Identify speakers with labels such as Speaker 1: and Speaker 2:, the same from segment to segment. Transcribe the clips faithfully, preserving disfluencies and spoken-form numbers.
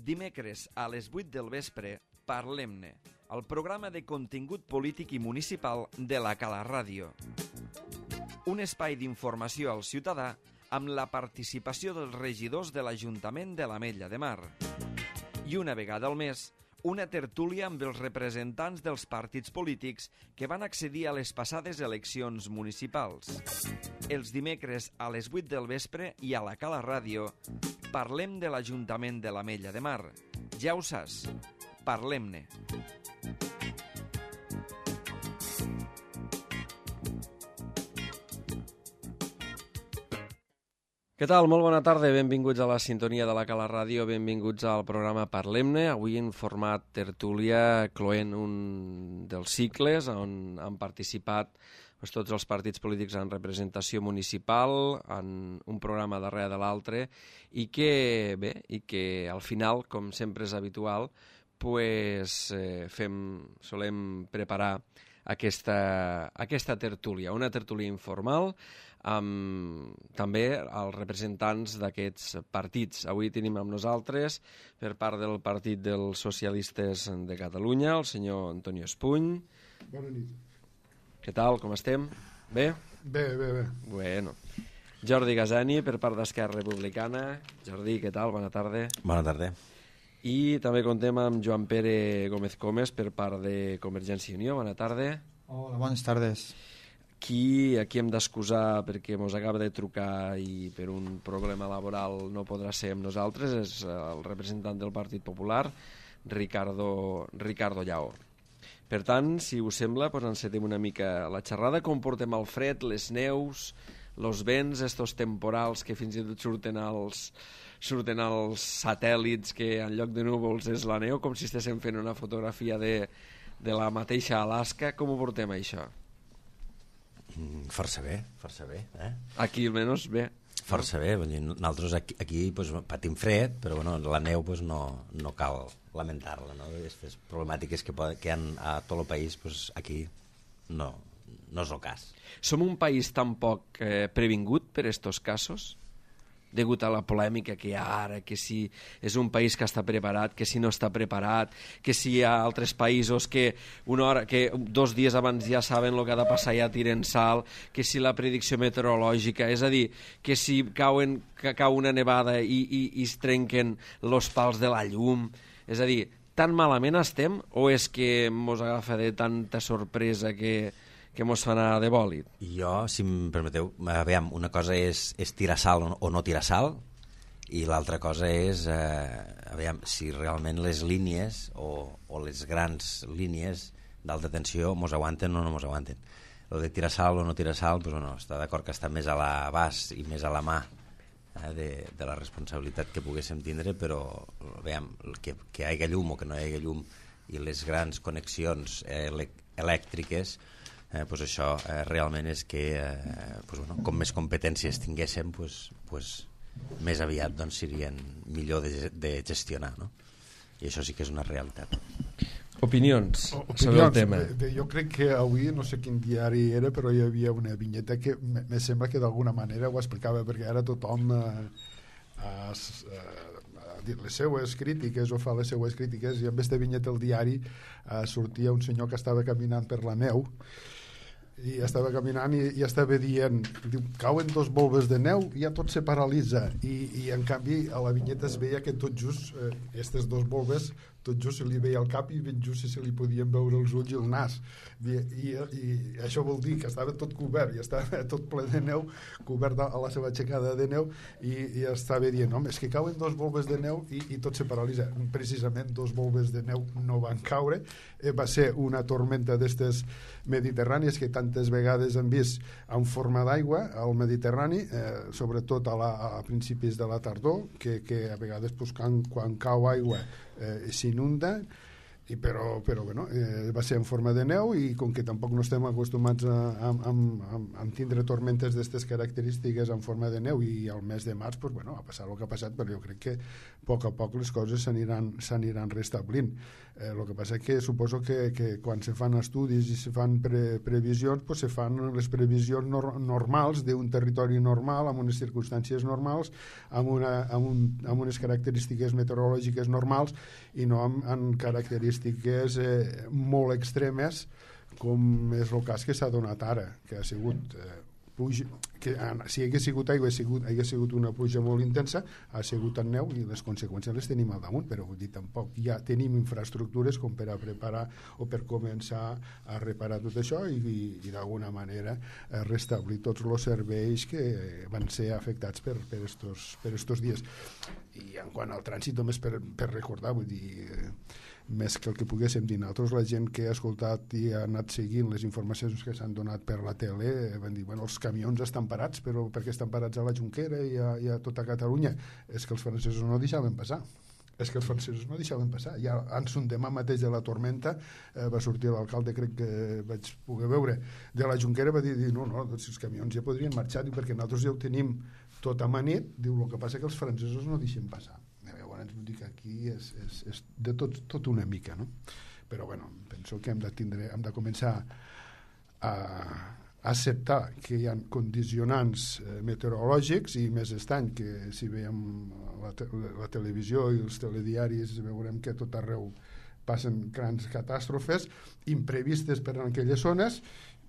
Speaker 1: Dimecres a les vuit del vespre, Parlem-ne, el programa de contingut polític i municipal de la Cala Ràdio. Un espai d'informació al ciutadà amb la participació dels regidors de l'Ajuntament de l'Ametlla de Mar. I una vegada al mes, una tertúlia amb els representants dels partits polítics que van accedir a les passades eleccions municipals. Els dimecres a les vuit del vespre i a la Cala Ràdio parlem de l'Ajuntament de l'Ametlla de Mar. Ja ho saps, parlem-ne. Què tal? Molt bona tarda, benvinguts a la sintonia de la Cala Ràdio, benvinguts al programa Parlem-ne, avui en format tertúlia, cloent un dels cicles on han participat pues, tots els partits polítics en representació municipal, en un programa darrere de l'altre, i que, bé, i que al final, com sempre és habitual, pues, eh, fem, solem preparar aquesta, aquesta tertúlia, una tertúlia informal, amb també els representants d'aquests partits. Avui tenim amb nosaltres, per part del Partit dels Socialistes de Catalunya, el senyor Antonio Espuny.
Speaker 2: Bona nit.
Speaker 1: Què tal, com estem? Bé?
Speaker 2: Bé, bé, bé.
Speaker 1: Bueno. Jordi Gazani, per part d'Esquerra Republicana. Jordi, què tal? Bona tarda.
Speaker 3: Bona tarda.
Speaker 1: I també contem amb Joan Pere Gómez Comes, per part de Convergència i Unió. Bona tarda.
Speaker 4: Hola, bones tardes.
Speaker 1: Qui aquí hem d'excusar perquè ens acaba de trucar i per un problema laboral no podrà ser amb nosaltres és el representant del Partit Popular, Ricardo, Ricardo Llaó. Per tant, si us sembla, doncs encetem una mica la xerrada, com portem el fred, les neus, els vents, estos temporals que fins i tot surten als, surten als satèl·lits que en lloc de núvols és la neu, com si estéssim fent una fotografia de, de la mateixa Alaska. Com ho portem, això?
Speaker 3: Força bé, força bé. Eh?
Speaker 1: Aquí almenys bé.
Speaker 3: Força bé, nosaltres aquí, aquí pues, patim fred, però bueno, la neu pues, no, no cal lamentar-la. No? Aquestes problemàtiques que, que hi ha a tot el país, pues, aquí no, no és el cas.
Speaker 1: Som un país tan poc eh, previngut per estos casos? Degut a la polèmica que hi ha ara, que si és un país que està preparat, que si no està preparat, que si hi ha altres països que, una hora, que dos dies abans ja saben el que ha de passar i ja tiren sal, que si la predicció meteorològica, és a dir, que si cauen, que cau una nevada i, i, i es trenquen els pals de la llum, és a dir, tan malament estem o és que mos agafa de tanta sorpresa que... que mos fa anar de bòlit?
Speaker 3: Jo, si em permeteu, aviam, una cosa és, és tirar sal o no tirar sal i l'altra cosa és eh, aviam, si realment les línies o, o les grans línies d'alta tensió mos aguanten o no mos aguanten. El de tirar sal o no tirar sal, pues, bueno, està d'acord que està més a l'abast i més a la mà eh, de, de la responsabilitat que poguéssim tindre, però aviam, que, que hi hagi llum o que no hi hagi llum i les grans connexions eh, elèctriques, Eh, pues això eh, realment és que eh, pues bueno, com més competències tinguéssim pues, pues, més aviat doncs, serien millor de, de gestionar, no? I això sí que és una realitat.
Speaker 1: Opinions,
Speaker 2: Opinions
Speaker 1: sobre el tema.
Speaker 2: Bé, jo crec que avui, no sé quin diari era, però hi havia una vinyeta que me, me sembla que d'alguna manera ho explicava, perquè ara tothom eh, a, a dir les seues crítiques o fa les seues crítiques, i amb aquesta vinyeta al diari eh, sortia un senyor que estava caminant per la neu i estava caminant i, i estava dient, diu, cauen dos volves de neu i ja tot se paralitza, i, i en canvi a la vinyeta es veia que tot just eh, aquestes dos volves tot just se li veia el cap i ben just se li podien veure els ulls i el nas, i, i, i això vol dir que estava tot cobert i estava tot ple de neu, cobert a la seva aixecada de neu, i, i estava dient, home, és que cauen dos volves de neu i, i tot se paralitza. Precisament dos volves de neu no van caure, eh, va ser una tormenta d'estes mediterrànies que tantes vegades hem vist en forma d'aigua al Mediterrani, eh, sobretot a, la, a principis de la tardor, que, que a vegades pues, quan, quan cau aigua eh, s'inunda, I però, però bueno, eh, va ser en forma de neu i com que tampoc no estem acostumats a, a, a, a, a tindre tormentes d'aquestes característiques en forma de neu i al mes de març, pues, bueno, ha passat el que ha passat, però jo crec que a poc a poc les coses s'aniran s'aniran restablint. Eh, el que passa és que suposo que, que quan se fan estudis i se fan pre, previsions, pues se fan les previsions nor, normals d'un territori normal, amb unes circumstàncies normals, amb, una, amb, un, amb unes característiques meteorològiques normals i no amb, amb característiques eh, molt extremes com és el cas que s'ha donat ara, que ha sigut eh, pluja, que si hagués sigut aigua hagués sigut, hagués sigut una pluja molt intensa, ha sigut en neu i les conseqüències les tenim al damunt, però vull dir, tampoc ja tenim infraestructures com per a preparar o per començar a reparar tot això i, i, i d'alguna manera eh, restablir tots els serveis que van ser afectats per, per, estos, per estos dies. I en quant al trànsit, només per, per recordar, vull dir, eh, més que el que poguéssim dir nosaltres, la gent que ha escoltat i ha anat seguint les informacions que s'han donat per la tele van dir, bueno, els camions estan parats, però perquè estan parats a la Jonquera i a, i a tota Catalunya? És que els francesos no deixaven passar. És que els francesos no deixaven passar. Ja ans un demà mateix de la tormenta eh, va sortir l'alcalde, crec que vaig poder veure, de la Jonquera, va dir, no, no, doncs els camions ja podrien marxar, diu, perquè nosaltres ja ho tenim tot amanit, diu, el que passa que els francesos no deixen passar. Llavors vull dir que aquí és, és, és de tot, tot una mica, no? Però bueno, penso que hem de, tindre, hem de començar a acceptar que hi ha condicionants eh, meteorològics i més estany que si veiem la, te la televisió i els telediaris veurem que tot arreu passen grans catàstrofes imprevistes per en aquelles zones,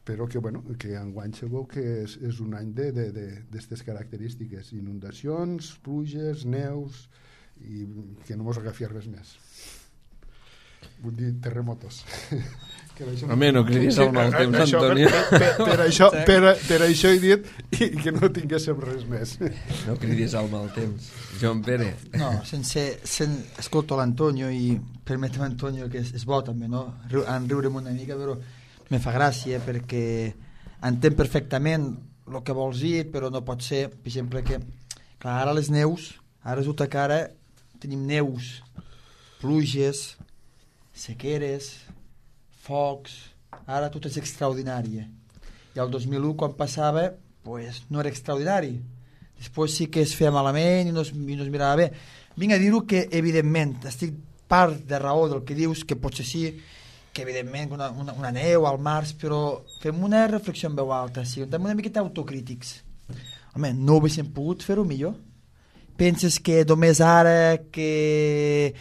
Speaker 2: però que, bueno, que enguany se veu que és, és un any d'aquestes característiques, inundacions, pluges, neus, i que no mos agafi res més. Vull dir, terremotos. Que això
Speaker 1: Home, no cridis al mal temps,
Speaker 2: això,
Speaker 1: Antonio.
Speaker 2: Per, per, per, això, per, per això he dit i que no tinguéssim res més.
Speaker 1: No cridis al mal temps. Joan Pere.
Speaker 4: No, sense, sen, escolto l'Antonio i permetem, Antonio, que és, és bo també, no? Riu, en riurem una mica, però me fa gràcia perquè entenc perfectament el que vols dir, però no pot ser, per exemple, que clar, ara les neus, ara resulta que ara tenim neus, pluges, sequeres, focs, ara tot és extraordinari. I el dos mil u, quan passava, pues, no era extraordinari. Després sí que es feia malament i no es, i no es mirava bé. Vinc a dir-ho que, evidentment, estic part de raó del que dius, que potser sí, que evidentment una, una, una neu al març, però fem una reflexió en veu alta, sí, també una miqueta autocrítics. Home, no ho haguéssim pogut fer-ho millor? Penses que només ara que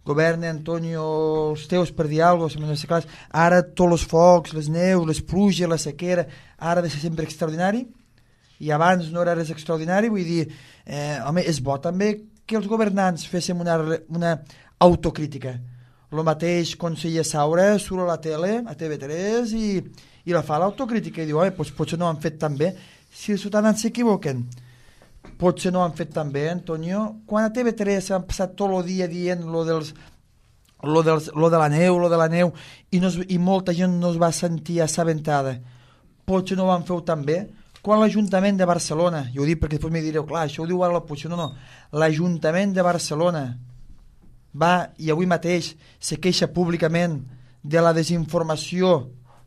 Speaker 4: governa Antonio els teus, per dir alguna cosa, no sé clar, ara tots els focs, les neus, les pluges, la sequera, ara ha de ser sempre extraordinari? I abans no era res extraordinari? Vull dir, eh, home, és bo també que els governants féssim una, una autocrítica. El mateix conseller Saura surt a la tele, a T V tres, i, i la fa l'autocrítica i diu, home, doncs potser no ho han fet tan bé. Si els ciutadans s'equivoquen, potser no ho han fet tan bé, Antonio. Quan a T V tres s'han passat tot el dia dient lo, dels, lo, dels, lo de la neu, lo de la neu, i, no es, i molta gent no es va sentir assabentada, potser no ho van fer tan bé. Quan l'Ajuntament de Barcelona, i ho dic perquè després m'hi direu, clar, això ho diu ara l'oposició, no, no, l'Ajuntament de Barcelona va, i avui mateix se queixa públicament de la desinformació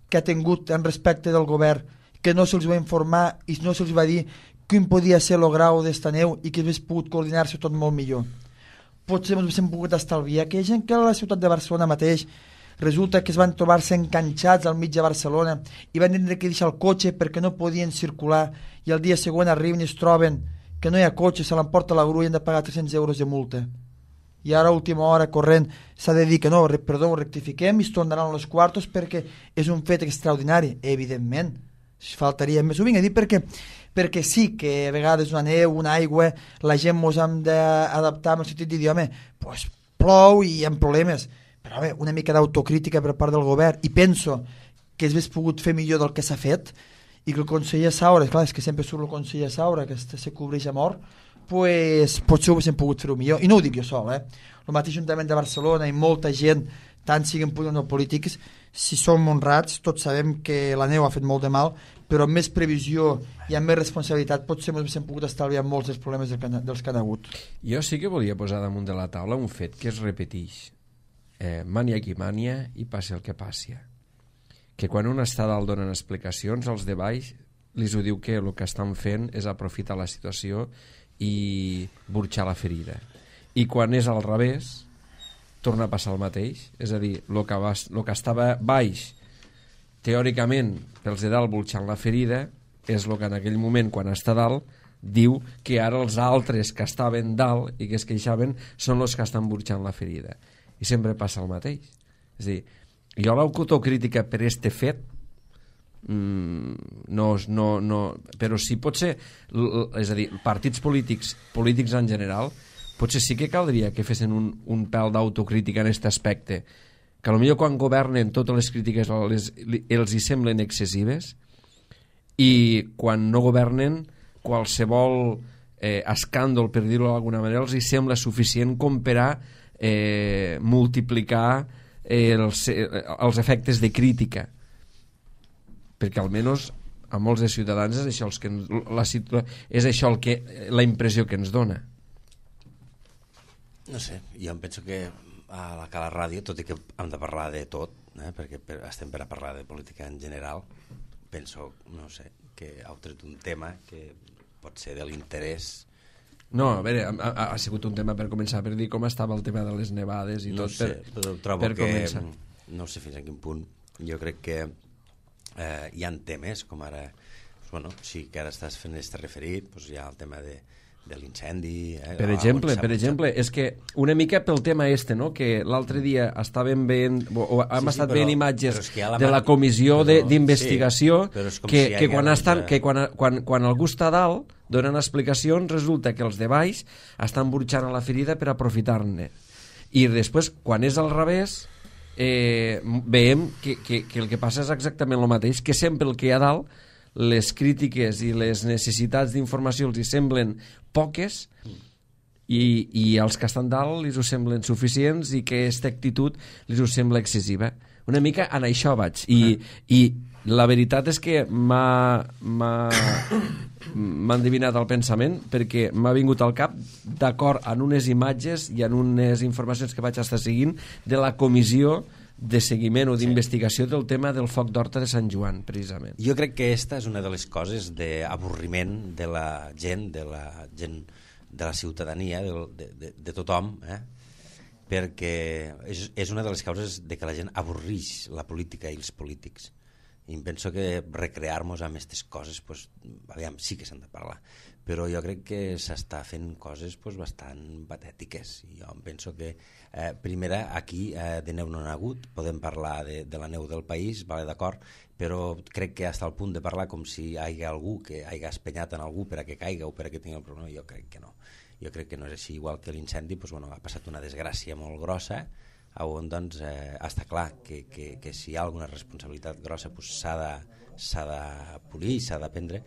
Speaker 4: que ha tingut en respecte del govern, que no se'ls va informar i no se'ls va dir quin podia ser el grau d'esta neu i que hagués pogut coordinar-se tot molt millor. Potser ens hem pogut estalviar que hi ha gent que a la ciutat de Barcelona mateix resulta que es van trobar-se enganxats al mig de Barcelona i van tindre que deixar el cotxe perquè no podien circular i el dia següent arriben i es troben que no hi ha cotxe, se l'emporta la grua i han de pagar tres-cents euros de multa. I ara a última hora corrent s'ha de dir que no, perdó, rectifiquem i es tornaran els quartos perquè és un fet extraordinari, evidentment. Faltaria més, ho vinc a dir perquè, perquè sí que a vegades una neu, una aigua, la gent mos hem d'adaptar en el sentit de dir, home, pues plou i hi ha problemes, però home, una mica d'autocrítica per part del govern, i penso que s'hagués pogut fer millor del que s'ha fet, i que el conseller Saura, clar, és que sempre surt el conseller Saura, que se cobreix a mort, pues, potser ho haguéssim pogut fer-ho millor, i no ho dic jo sol, eh? El mateix Ajuntament de Barcelona i molta gent, tant siguin polítics o polítics, si som honrats, tots sabem que la neu ha fet molt de mal, però amb més previsió i amb més responsabilitat potser ens hem pogut estalviar molts dels problemes dels que han hagut.
Speaker 1: Jo sí que volia posar damunt de la taula un fet que es repeteix. eh, mania qui mania i passi el que passi. Que quan un està dalt donen explicacions, els de baix li ho diu que el que estan fent és aprofitar la situació i burxar la ferida. I quan és al revés, torna a passar el mateix. És a dir, el que, va, el que estava baix, teòricament, pels de dalt burxant la ferida, és el que en aquell moment, quan està dalt, diu que ara els altres que estaven dalt i que es queixaven són els que estan burxant la ferida. I sempre passa el mateix. És a dir, jo l'autocrítica per este fet mm, no, no, no, però sí pot ser, és a dir, partits polítics, polítics en general, potser sí que caldria que fessin un, un pèl d'autocrítica en aquest aspecte, que potser quan governen totes les crítiques les, els hi semblen excessives i quan no governen qualsevol eh, escàndol, per dir-ho d'alguna manera, els hi sembla suficient com per a eh, multiplicar eh, els, eh, els efectes de crítica, perquè almenys a molts de ciutadans és això, els que ens, la situa- és això el que, la impressió que ens dona.
Speaker 3: No sé, jo em penso que a la Cala Ràdio, tot i que hem de parlar de tot, eh, perquè per, estem per a parlar de política en general, penso, no sé, que heu tret un tema que pot ser de l'interès.
Speaker 1: No, a veure, ha, ha, ha sigut un tema per començar, per dir com estava el tema de les nevades i
Speaker 3: no
Speaker 1: tot,
Speaker 3: sé,
Speaker 1: per,
Speaker 3: però trobo
Speaker 1: per
Speaker 3: que,
Speaker 1: començar.
Speaker 3: no sé fins a quin punt, jo crec que eh, hi ha temes, com ara, doncs, bueno, sí que ara estàs fent este referit, doncs hi ha el tema de de l'incendi... Eh,
Speaker 1: Per exemple, per exemple, és que una mica pel tema este, no? Que l'altre dia estàvem veient, o, o hem
Speaker 3: sí, sí,
Speaker 1: estat
Speaker 3: però,
Speaker 1: veient imatges
Speaker 3: la
Speaker 1: de la comissió
Speaker 3: però,
Speaker 1: d'investigació,
Speaker 3: sí, que,
Speaker 1: que,
Speaker 3: si
Speaker 1: que, quan,
Speaker 3: doncs,
Speaker 1: estan, que quan, quan, quan algú està dalt donen explicacions, resulta que els de baix estan burxant a la ferida per aprofitar-ne. I després, quan és al revés, eh, veiem que, que, que el que passa és exactament el mateix, que sempre el que hi ha dalt, les crítiques i les necessitats d'informació els hi semblen poques i, i als que estan dalt els ho semblen suficients i que aquesta actitud els ho sembla excessiva. Una mica en això vaig. I, i la veritat és que m'ha m'ha endevinat el pensament, perquè m'ha vingut al cap, d'acord en unes imatges i en unes informacions que vaig estar seguint de la comissió de seguiment o d'investigació del tema del foc d'Horta de Sant Joan, precisament.
Speaker 3: Jo crec que aquesta és una de les coses d'avorriment de la gent, de la gent de la ciutadania, de, de, de, de tothom, eh? Perquè és, és una de les causes de que la gent avorrix la política i els polítics. I em penso que recrear-nos amb aquestes coses, pues, aviam, sí que s'han de parlar, però jo crec que s'està fent coses pues, bastant patètiques. Jo em penso que eh, primera, aquí eh, de neu no n'ha hagut, podem parlar de, de la neu del país, vale, d'acord, però crec que hasta el punt de parlar com si hi hagi algú que hagi espenyat en algú per a que caiga o per a que tingui el problema, jo crec que no. Jo crec que no és així, igual que l'incendi, pues, bueno, ha passat una desgràcia molt grossa, on doncs eh, està clar que, que, que si hi ha alguna responsabilitat grossa pues, s'ha de, s'ha de polir i s'ha de prendre,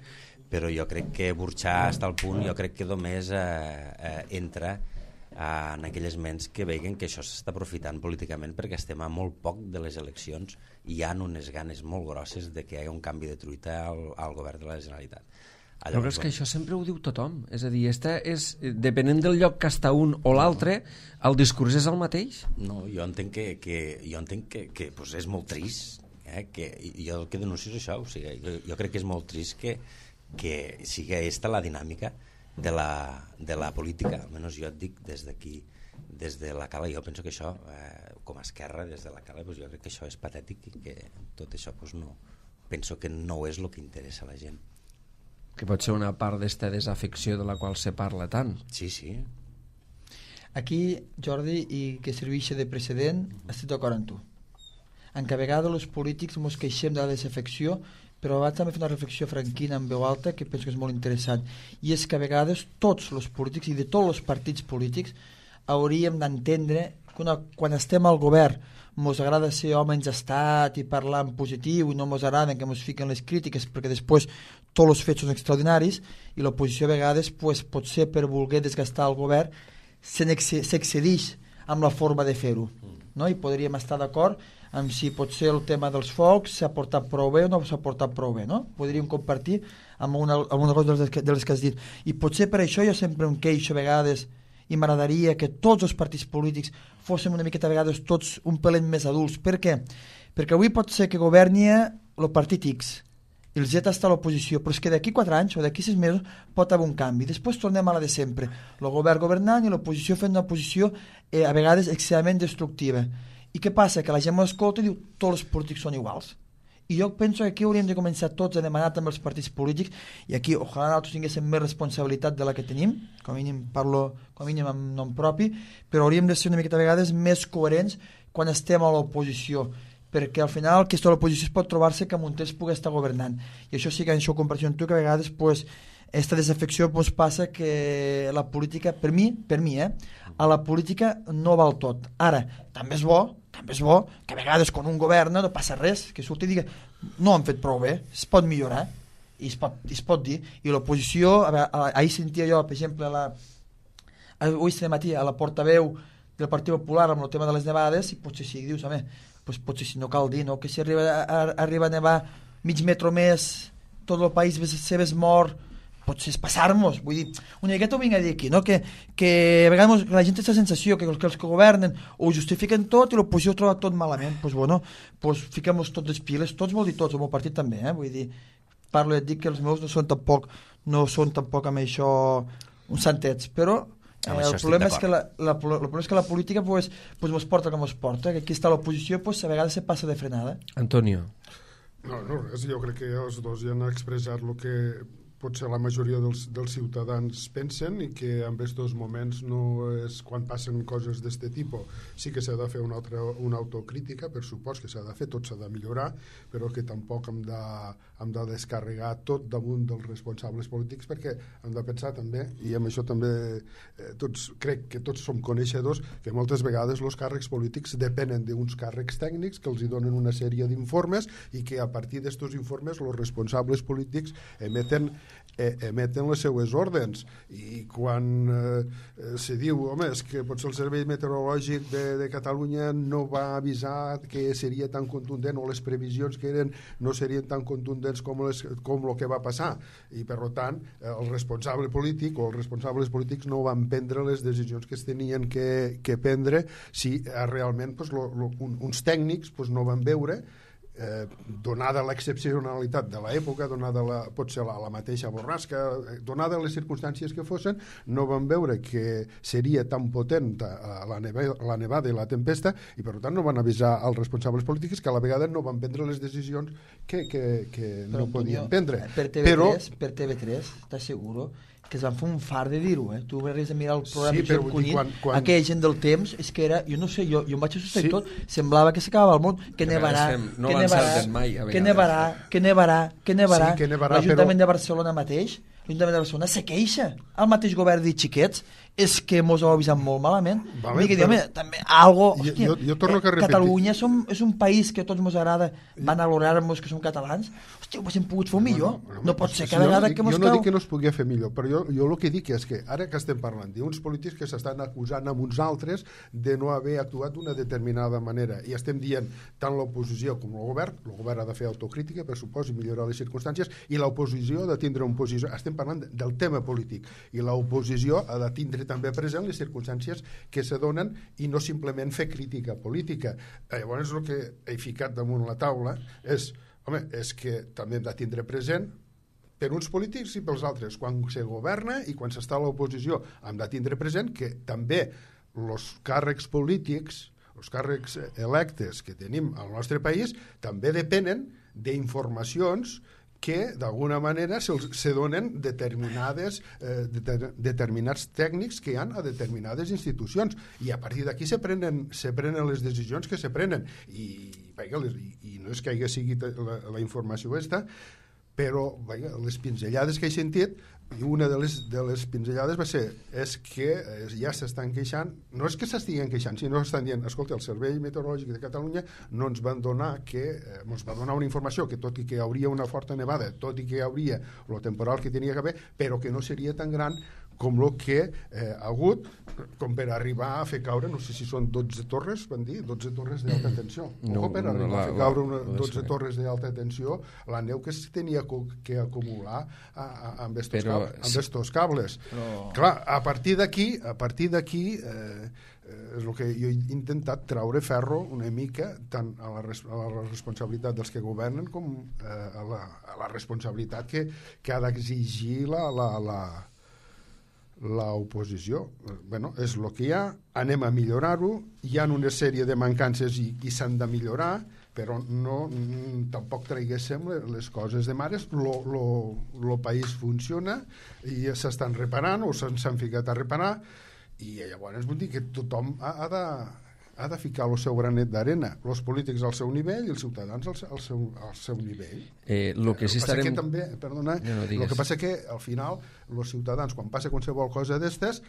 Speaker 3: però jo crec que burxar fins al punt, jo crec que només eh, eh, entra eh, en aquelles ments que veuen que això s'està aprofitant políticament perquè estem a molt poc de les eleccions i hi ha unes ganes molt grosses de que hi hagi un canvi de truita al, al govern de la Generalitat.
Speaker 1: Però és que això sempre ho diu tothom, és a dir, esta és, depenent del lloc que està un o l'altre, el discurs és el mateix?
Speaker 3: No, jo entenc que, que, jo entenc que, que pues és molt trist, eh? Que, jo el que denuncio és això, o sigui, jo, jo crec que és molt trist que, que sigui aquesta la dinàmica de la, de la política, almenys jo et dic des d'aquí, des de la Cala, jo penso que això, eh, com a esquerra, des de la Cala, pues jo crec que això és patètic i que tot això pues no, penso que no és el que interessa a la gent.
Speaker 1: Que pot ser una part d'esta desafecció de la qual se parla tant.
Speaker 3: Sí, sí.
Speaker 4: Aquí, Jordi, i que serveixi de precedent, estic d'acord amb tu. En que a vegades els polítics ens queixem de la desafecció, però abans també fer una reflexió franquina en veu alta que penso que és molt interessant, i és que a vegades tots els polítics i de tots els partits polítics hauríem d'entendre que una, quan estem al govern ens agrada ser homes d'estat i parlar en positiu i no ens agrada que ens fiquen les crítiques perquè després tots els fets són extraordinaris i l'oposició a vegades pues, potser per voler desgastar el govern s'excedeix amb la forma de fer-ho, no? I podríem estar d'acord amb si potser el tema dels focs s'ha portat prou bé o no s'ha portat prou bé, no? Podríem compartir amb una, amb una cosa de les, que, de les que has dit, i potser per això jo sempre em queixo a vegades i m'agradaria que tots els partits polítics fóssim una miqueta a vegades tots un pelet més adults. Per què? Perquè avui pot ser que governi el partit X i el Z està a l'oposició, però és que d'aquí quatre anys o d'aquí sis mesos pot haver un canvi. Després tornem a la de sempre, el govern governant i l'oposició fent una posició eh, a vegades excessivament destructiva. I què passa? Que la gent m'escolta i diu tots els polítics són iguals. I jo penso que aquí hauríem de començar tots a demanar també els partits polítics, i aquí ojalà nosaltres tinguéssim més responsabilitat de la que tenim, com a mínim parlo com a mínim amb nom propi, però hauríem de ser una miqueta a vegades més coherents quan estem a l'oposició, perquè al final aquesta oposició es pot trobar-se que amb un temps pugui estar governant. I això sí que això ho comparteixo amb tu, que a vegades pues, aquesta desafecció pues, passa que la política, per mi, per mi eh, a la política no val tot. Ara, també és bo, també és bo que a vegades quan un governa no passa res, que surti i digui no han fet prou bé, es pot millorar, i es pot, es pot dir. I l'oposició, ahir sentia jo, per exemple, a la, avui de matí, a la portaveu del Partit Popular amb el tema de les nevades, i potser sí, dius, home, pues potser si no cal dir, no? Que si arriba a, arriba a nevar mig metro més, tot el país se ves mort, potser és passar-nos, vull dir, una miqueta ho vinc a dir aquí, no? Que, que a vegades la gent té la sensació que els que, els que governen ho justifiquen tot i l'oposició ho troba tot malament, doncs pues bueno, pues fiquem-nos tots les piles, tots vol dir tots, el meu partit també, eh? Vull dir, parlo i et dic que els meus no són tampoc, no són tampoc amb això uns santets, però Eh, el, problema és que la, la, el problema és que la política pues, pues mos porta com es porta, que aquí està l'oposició pues, a vegades se passa de frenada.
Speaker 1: Antonio.
Speaker 2: No, no res, jo crec que els dos ja han expressat el que potser la majoria dels, dels ciutadans pensen, i que en aquests moments no és quan passen coses d'este tipus. Sí que s'ha de fer una, altra, una autocrítica, per supost que s'ha de fer, tot s'ha de millorar, però que tampoc hem de, hem de descarregar tot damunt dels responsables polítics, perquè hem de pensar també, i amb això també eh, tots, crec que tots som coneixedors, que moltes vegades els càrrecs polítics depenen d'uns càrrecs tècnics que els hi donen una sèrie d'informes, i que a partir d'estos informes els responsables polítics emeten emeten les seues ordens, i quan eh, se diu, home, és que potser el Servei Meteorològic de, de Catalunya no va avisar que seria tan contundent, o les previsions que eren no serien tan contundents com, les, com el que va passar, i per tant el responsable polític o els responsables polítics no van prendre les decisions que es tenien que, que prendre si eh, realment pues, lo, lo, un, uns tècnics pues, no van veure, Eh, donada l'excepcionalitat de l'època, donada la, potser la, la mateixa borrasca, eh, donada les circumstàncies que fossin, no van veure que seria tan potent la, neva, la nevada i la tempesta, i per tant no van avisar als responsables polítics, que a la vegada no van prendre les decisions que, que, que no podien prendre.
Speaker 4: Per T V tres, però, per T V tres t'asseguro que es van fer un far de dir-ho, eh? Tu vas a mirar el programa sí, Josep Cunit, quan, quan... aquella gent del temps, és que era, jo no sé, jo, jo em vaig assustar sí. i tot, semblava que s'acabava el món, que, que nevarà, no que nevarà, mai, que nevarà, que nevarà, que nevarà, sí, que nevarà l'Ajuntament però... de Barcelona mateix, l'Ajuntament de Barcelona se queixa, el mateix govern de xiquets, és que mos ho avisat molt malament. Vale, que, però... també, algo, hòstia, jo, jo torno eh, a Catalunya som, és un país que a tots mos agrada, van a gloriar-nos que som catalans, hòstia, ho haguéssim pogut fer millor. No, no, no, no pot ser cada vegada que mos
Speaker 2: Jo no dic que no es pugui fer millor, però jo, jo el que dic és que ara que estem parlant d'uns polítics que s'estan acusant amb uns altres de no haver actuat d'una determinada manera, i estem dient tant l'oposició com el govern, el govern ha de fer autocrítica, per supòs, i millorar les circumstàncies, i l'oposició ha de tindre un posició, estem parlant del tema polític, i l'oposició ha de tindre també present les circumstàncies que se donen i no simplement fer crítica política. Llavors el que he ficat damunt la taula és, home, és que també hem de tindre present per uns polítics i pels altres, quan se governa i quan s'està a l'oposició, hem de tindre present que també els càrrecs polítics, els càrrecs electes que tenim al nostre país també depenen d'informacions que d'alguna manera se, se donen determinades, eh, de, determinats tècnics que hi ha a determinades institucions, i a partir d'aquí se prenen, se prenen les decisions que se prenen, i, i, i no és que hagi sigut la, la informació aquesta, però vaja, les pinzellades que he sentit, i una de les, de les pinzellades va ser és que eh, ja s'estan queixant, no és que s'estiguen queixant, sinó que estan dient, escolta, el Servei Meteorològic de Catalunya no ens van donar que, eh, ens va donar una informació que tot i que hi hauria una forta nevada, tot i que hi hauria el temporal que tenia que haver, però que no seria tan gran com el que eh, ha hagut, com per arribar a fer caure, no sé si són dotze torres, van dir, dotze torres d'alta tensió. No, com per arribar no, la, a fer caure una, dotze torres d'alta tensió, la neu que es tenia que acumular a, a, amb estos, Però, cables, amb estos cables. Però... Clar, a partir d'aquí, a partir d'aquí, eh, és el que jo he intentat treure ferro una mica tant a la, res, a la responsabilitat dels que governen com eh, a, la, a la responsabilitat que, que ha d'exigir la, la, la, l'oposició. Bueno, és el que hi ha, anem a millorar-ho, hi ha una sèrie de mancances i, i s'han de millorar, però no, tampoc traiguéssim les coses de mares. El país funciona i s'estan reparant o s'han ficat a reparar, i llavors vull dir que tothom ha, ha, de, ha de ficar el seu granet d'arena, els polítics al seu nivell i els ciutadans al, al, seu, al seu nivell.
Speaker 1: Eh, lo que sí estarem...
Speaker 2: que també, perdona, no, no el que passa que al final els ciutadans, quan passa qualsevol cosa d'estes,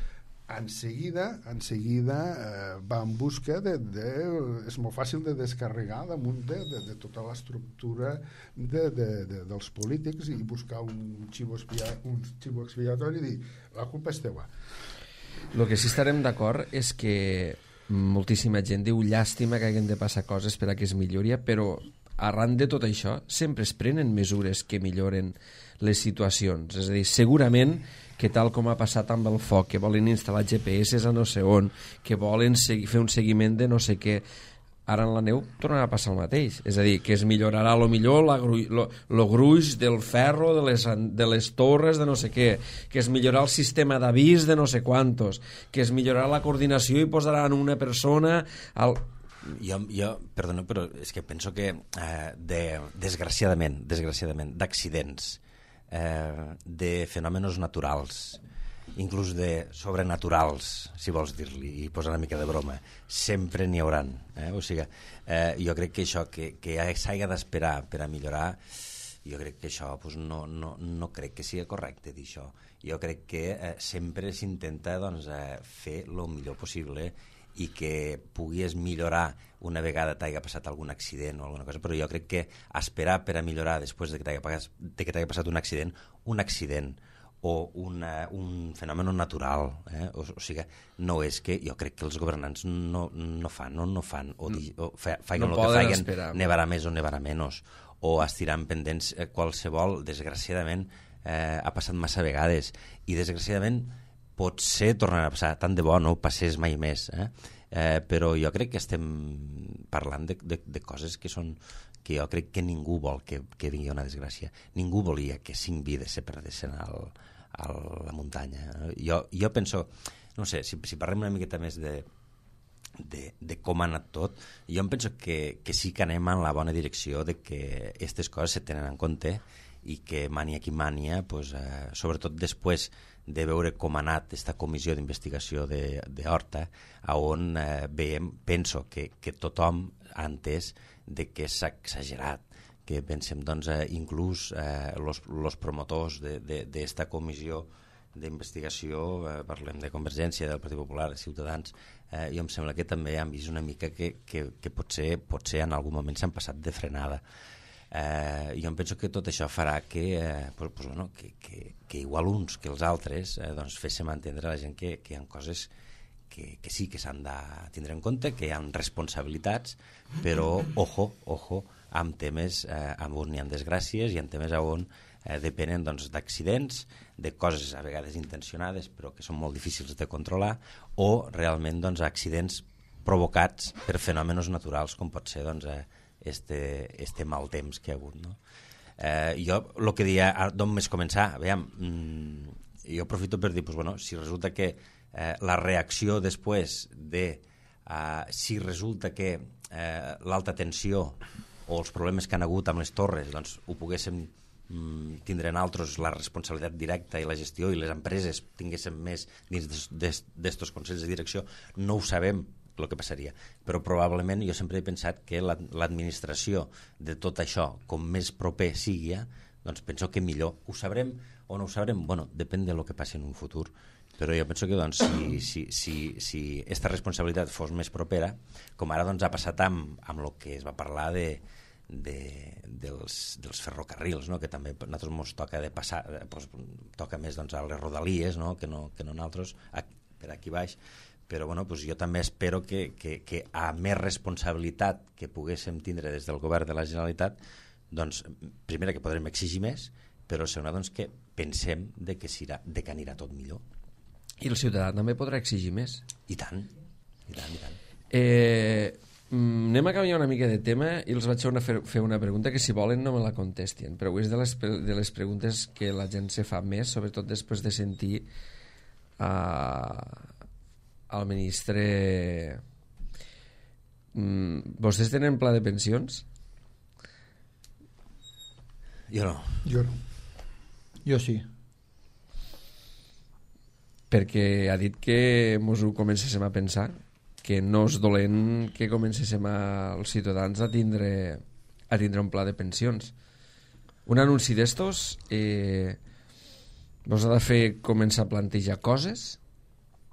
Speaker 2: en seguida, en seguida eh, va en busca de, de... És molt fàcil de descarregar damunt de, de, de tota l'estructura de, de, de, dels polítics i buscar un xivo, expia, un xivo expiatori i dir, la culpa és teua.
Speaker 1: El que sí estarem d'acord és que moltíssima gent diu llàstima que hagin de passar coses per a que es millori, però arran de tot això sempre es prenen mesures que milloren les situacions. És a dir, segurament que tal com ha passat amb el foc, que volen instal·lar G P S a no sé on, que volen fer un seguiment de no sé què, ara en la neu tornarà a passar el mateix. És a dir, que es millorarà lo millor el gruix del ferro, de les, de les torres, de no sé què, que es millorarà el sistema d'avís de no sé quantos, que es millorarà la coordinació i posaran una persona al...
Speaker 3: Jo, jo, perdona, però és que penso que eh, de, desgraciadament, desgraciadament, d'accidents, eh, de fenòmenos naturals, inclús de sobrenaturals, si vols dir-li, i posar una mica de broma, sempre n'hi hauran. Eh? O sigui, eh, jo crec que això, que, que s'hagi d'esperar per a millorar, jo crec que això pues, no, no, no crec que sigui correcte dir això. Jo crec que eh, sempre s'intenta doncs, eh, fer el millor possible i que puguis millorar una vegada t'hagi passat algun accident o alguna cosa, però jo crec que esperar per a millorar després de que t'hagi passat, passat un accident, un accident o una, un fenomen natural, eh? o, o sigui, no és que jo crec que els governants no, no fan o no fan, o, di, o fa, faguen no el que faguen, esperar, nevarà més o nevarà menys, o estiran pendents eh, qualsevol, desgraciadament eh, ha passat massa vegades, i desgraciadament potser tornarà a passar, tant de bo no passés mai més, eh? Eh, però jo crec que estem parlant de, de, de coses que són que jo crec que ningú vol que, que vingui una desgràcia. Ningú volia que cinc vides se perdessin al, a la muntanya. Jo, jo penso, no sé, si, si parlem una miqueta més de, de, de com ha anat tot, jo em penso que, que sí que anem en la bona direcció de que aquestes coses se tenen en compte i que mania qui mania, pues, eh, sobretot després de veure com ha anat aquesta comissió d'investigació d'Horta, on eh, veiem, penso que, que tothom ha entès de que s'ha exagerat, que pensem doncs, eh, inclús els eh, promotors d'esta comissió d'investigació, eh, parlem de Convergència, del Partit Popular, de Ciutadans, eh, jo em sembla que també han vist una mica que, que, que potser, potser en algun moment s'han passat de frenada. Eh, jo em penso que tot això farà que, eh, pues, pues, bueno, que, que, que igual uns que els altres eh, doncs féssim entendre a la gent que, que hi ha coses que, que sí que s'han de tindre en compte, que hi ha responsabilitats, però ojo, ojo, amb temes eh, on hi ha desgràcies i amb temes on eh, depenen doncs, d'accidents, de coses a vegades intencionades però que són molt difícils de controlar, o realment doncs, accidents provocats per fenòmenos naturals com pot ser doncs, eh, este, este mal temps que hi ha hagut, no? Eh, jo el que deia d'on més començar, aviam, mmm, jo aprofito per dir, pues, bueno, si resulta que eh, la reacció després de eh, si resulta que eh, l'alta tensió o els problemes que han hagut amb les torres doncs ho poguéssim mm, tindre en altres la responsabilitat directa i la gestió i les empreses tinguéssim més dins d'estos consells de direcció, no ho sabem el que passaria, però probablement jo sempre he pensat que l'administració de tot això, com més proper sigui, doncs penso que millor. Ho sabrem o no ho sabrem? Bueno, depèn del que passi en un futur, però jo penso que doncs, si, si, si, si aquesta responsabilitat fos més propera, com ara doncs, ha passat amb, amb el que es va parlar de, de, dels, dels ferrocarrils, no? Que també a nosaltres ens toca de passar, pues, toca més doncs, a les rodalies, no? Que no, que no nosaltres, a, per aquí baix, però bueno, pues jo també espero que, que, que a més responsabilitat que poguéssim tindre des del govern de la Generalitat, doncs, primera que podrem exigir més, però segona doncs, que pensem de que, serà, de que anirà tot millor.
Speaker 1: I el ciutadà també podrà exigir més.
Speaker 3: I tant, i tant, i tant.
Speaker 1: Eh, anem a canviar una mica de tema i els vaig fer una, fer una pregunta que si volen no me la contestin, però és de les, de les preguntes que la gent se fa més, sobretot després de sentir uh, al ministre. Mm, vostès tenen pla de pensions?
Speaker 3: Jo no.
Speaker 2: Jo no.
Speaker 4: Jo sí.
Speaker 1: Perquè ha dit que mos ho comencéssim a pensar, que no és dolent que comencéssim a, els ciutadans a tindre, a tindre un pla de pensions. Un anunci d'estos eh, vos ha de fer començar a plantejar coses?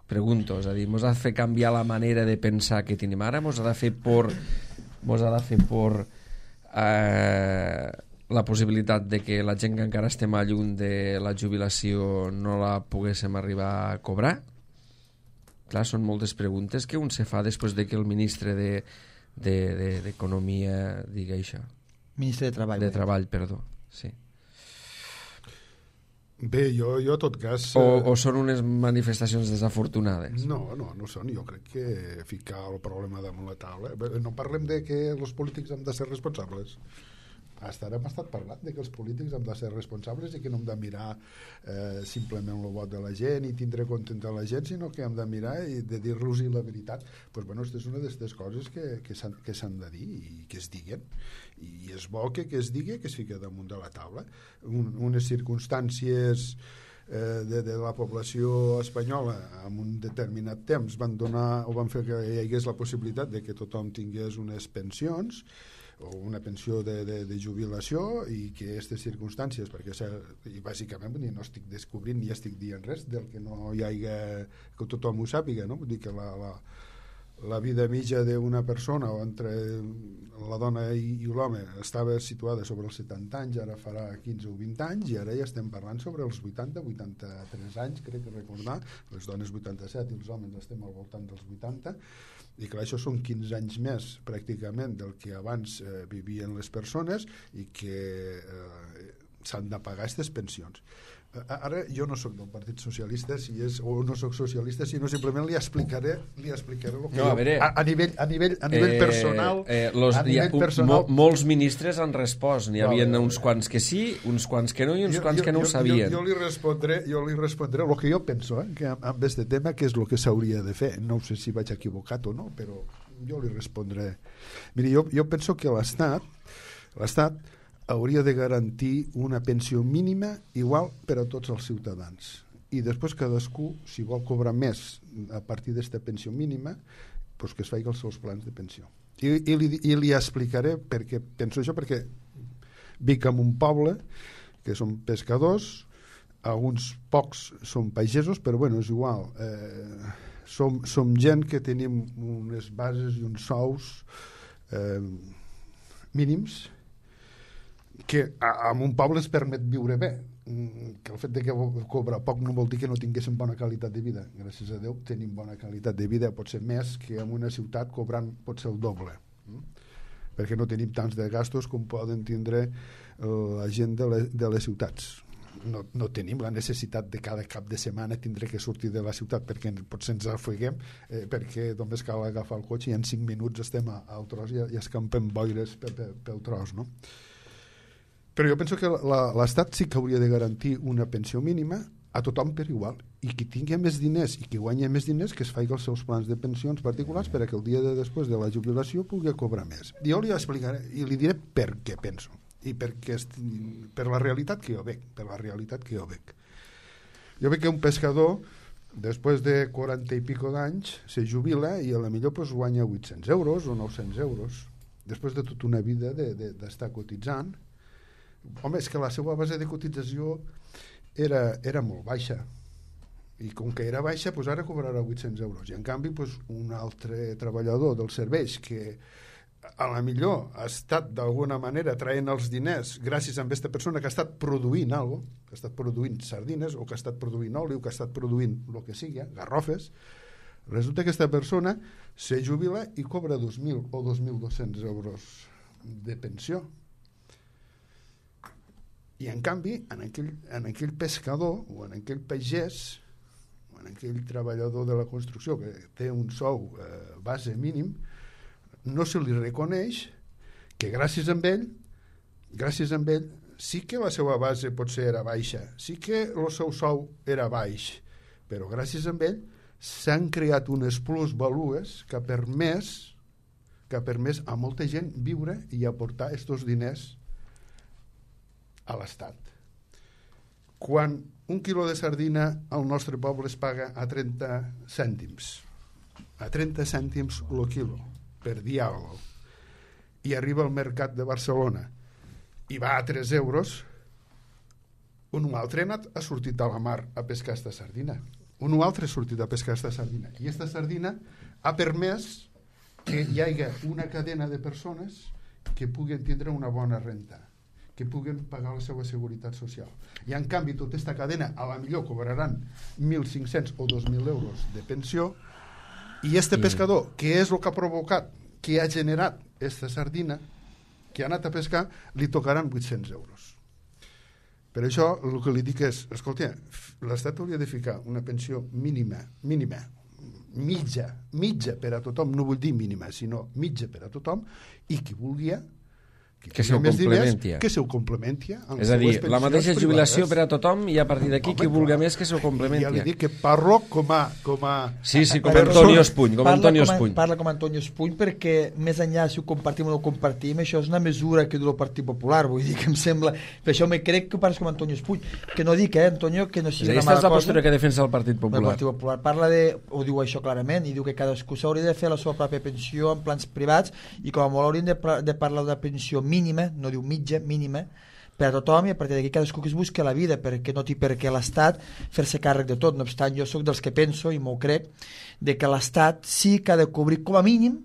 Speaker 1: Pregunto, és a dir, mos ha de fer canviar la manera de pensar que tenim ara, mos ha de fer por, mos ha de fer por eh, la possibilitat de que la gent que encara estem a lluny de la jubilació no la poguéssim arribar a cobrar? Clar, són moltes preguntes que un se fa després de que el ministre de, de, de, d'Economia digui això.
Speaker 4: Ministre de Treball.
Speaker 1: De Treball, perdó, sí.
Speaker 2: Bé, jo, jo a tot cas...
Speaker 1: O, o són unes manifestacions desafortunades?
Speaker 2: No, no, no són. Jo crec que ficar el problema damunt la taula... No parlem de que els polítics hem de ser responsables. Hasta ara hem estat parlant de que els polítics hem de ser responsables i que no hem de mirar eh, simplement el vot de la gent i tindre contenta la gent, sinó que hem de mirar i de dir-los la veritat. Pues, bueno, aquesta és una d'aquestes coses que, que s'han que s'han de dir i que es diguen. I és bo que, que es digui, que es fiqui damunt de la taula. Un, unes circumstàncies eh, de, de la població espanyola en un determinat temps van donar o van fer que hi hagués la possibilitat de que tothom tingués unes pensions o una pensió de, de, de jubilació i que aquestes circumstàncies, perquè i bàsicament ni no estic descobrint ni estic dient res del que no hi hagi, que tothom ho sàpiga, no? Vull dir que la, la, la vida mitja d'una persona o entre la dona i, i l'home estava situada sobre els setanta anys, ara farà quinze o vint anys i ara ja estem parlant sobre els vuitanta, vuitanta-tres anys, crec que recordar, les dones vuitanta-set i els homes estem al voltant dels vuitanta. I clar, això són quinze anys més pràcticament del que abans eh, vivien les persones i que eh, s'han de pagar aquestes pensions. Eh, ara jo no sóc del Partit Socialista si és, o no sóc socialista, sinó simplement li explicaré li explicaré el que
Speaker 1: no, a, veure,
Speaker 2: jo, a, a nivell, a nivell, a nivell eh, personal,
Speaker 1: eh, los,
Speaker 2: a nivell
Speaker 1: ha,
Speaker 2: personal
Speaker 1: mo, molts ministres han respost, n'hi havia
Speaker 2: vale,
Speaker 1: uns quants que sí, uns quants que no i uns
Speaker 2: jo,
Speaker 1: quants
Speaker 2: jo,
Speaker 1: que no
Speaker 2: jo,
Speaker 1: ho sabien.
Speaker 2: Jo, jo, li respondré, jo li respondré el que jo penso, eh, que amb, amb este tema que és el que s'hauria de fer. No sé si vaig equivocat o no, però jo li respondré. Miri, jo, jo penso que l'Estat l'Estat hauria de garantir una pensió mínima igual per a tots els ciutadans. I després cadascú, si vol cobrar més a partir d'esta pensió mínima, doncs que es faci els seus plans de pensió. I, i, li, i li explicaré perquè penso això, perquè vic en un poble que són pescadors, alguns pocs són pagesos, però bueno, és igual. Eh, som, som gent que tenim unes bases i uns sous eh, mínims que a, a un poble es permet viure bé, que el fet de que cobra poc no vol dir que no tinguéssim bona qualitat de vida. Gràcies a Déu tenim bona qualitat de vida, pot ser més que en una ciutat cobrant pot ser el doble, perquè no tenim tants de gastos com poden tindre la gent de les, de les ciutats. No, no tenim la necessitat de cada cap de setmana tindre que sortir de la ciutat perquè potser ens afeguem eh, perquè només cal agafar el cotxe i en cinc minuts estem al tros i, i escampem boires pel, pel, pel tros, no? Però jo penso que l'Estat sí que hauria de garantir una pensió mínima a tothom per igual, i qui tingui més diners i qui guanyi més diners que es faci els seus plans de pensions particulars perquè el dia de després de la jubilació pugui cobrar més. Jo li explicaré i li diré per què penso i perquè per la realitat que jo veig, per la realitat que jo veig. Jo veig que un pescador després de quaranta i pico d'anys se jubila i a la millor pues, guanya vuit-cents euros o nou-cents euros després de tota una vida de, de, d'estar cotitzant. Home, és que la seva base de cotització era, era molt baixa i com que era baixa pues ara cobrarà vuit-cents euros i en canvi pues, un altre treballador dels serveis que a la millor ha estat d'alguna manera traient els diners gràcies a aquesta persona que ha estat produint alguna cosa, que ha estat produint sardines o que ha estat produint oli o que ha estat produint el que sigui, garrofes. Resulta que aquesta persona se jubila i cobra dos mil o dos mil dos-cents euros de pensió. I en canvi, en aquell, en aquell pescador o en aquell pagès o en aquell treballador de la construcció que té un sou eh, base mínim, no se li reconeix que gràcies a ell, gràcies a ell, sí que la seva base potser era baixa, sí que el seu sou era baix, però gràcies a ell s'han creat unes plusvalues que ha permès, que ha permès a molta gent viure i aportar aquests diners a l'Estat. Quan un quilo de sardina al nostre poble es paga a trenta cèntims, a trenta cèntims el quilo, per dir alguna cosa, i arriba al mercat de Barcelona i va a tres euros, un altre ha, anat, ha sortit a la mar a pescar esta sardina. Un altre ha sortit a pescar esta sardina. I esta sardina ha permès que hi hagi una cadena de persones que puguen tindre una bona renta, que puguen pagar la seva seguretat social. I en canvi tota aquesta cadena a la millor cobraran mil cinc-cents o dos mil euros de pensió, i este pescador, que és el que ha provocat, que ha generat esta sardina, que ha anat a pescar, li tocaran vuit-cents euros. Per això el que li dic és, escolta, l'Estat hauria de ficar una pensió mínima, mínima, mitja, mitja per a tothom, no vull dir mínima, sinó mitja per a tothom, i qui vulgui que,
Speaker 1: que se ho complementi.
Speaker 2: Que se ho complementi.
Speaker 1: És a dir, la mateixa jubilació privades per a tothom i a partir d'aquí qui vulgui més que se ho complementi.
Speaker 2: Ja li dic que parlo com a... Com a...
Speaker 1: Sí, sí, com Antonio Espuny. Com Antonio Espuny.
Speaker 4: Parla com Antonio Espuny perquè més enllà si ho compartim o no ho compartim, això és una mesura que du el Partit Popular, vull dir que em sembla... Per això me crec que parles com Antonio Espuny. Que no dic, eh, Antonio, que no sigui una mala cosa.
Speaker 1: Aquesta és la postura que defensa el Partit Popular.
Speaker 4: El Partit Popular parla de... Ho diu això clarament, i diu que cadascú s'hauria de fer la seva pròpia pensió en plans privats i com a molt haurien de, de parlar d'una pensió mínima, no diu mitja, mínima, per a tothom, i a partir d'aquí cadascú que es busqui la vida, perquè no té per què l'Estat fer-se càrrec de tot. No obstant, jo sóc dels que penso, i m'ho crec, de que l'Estat sí que ha de cobrir com a mínim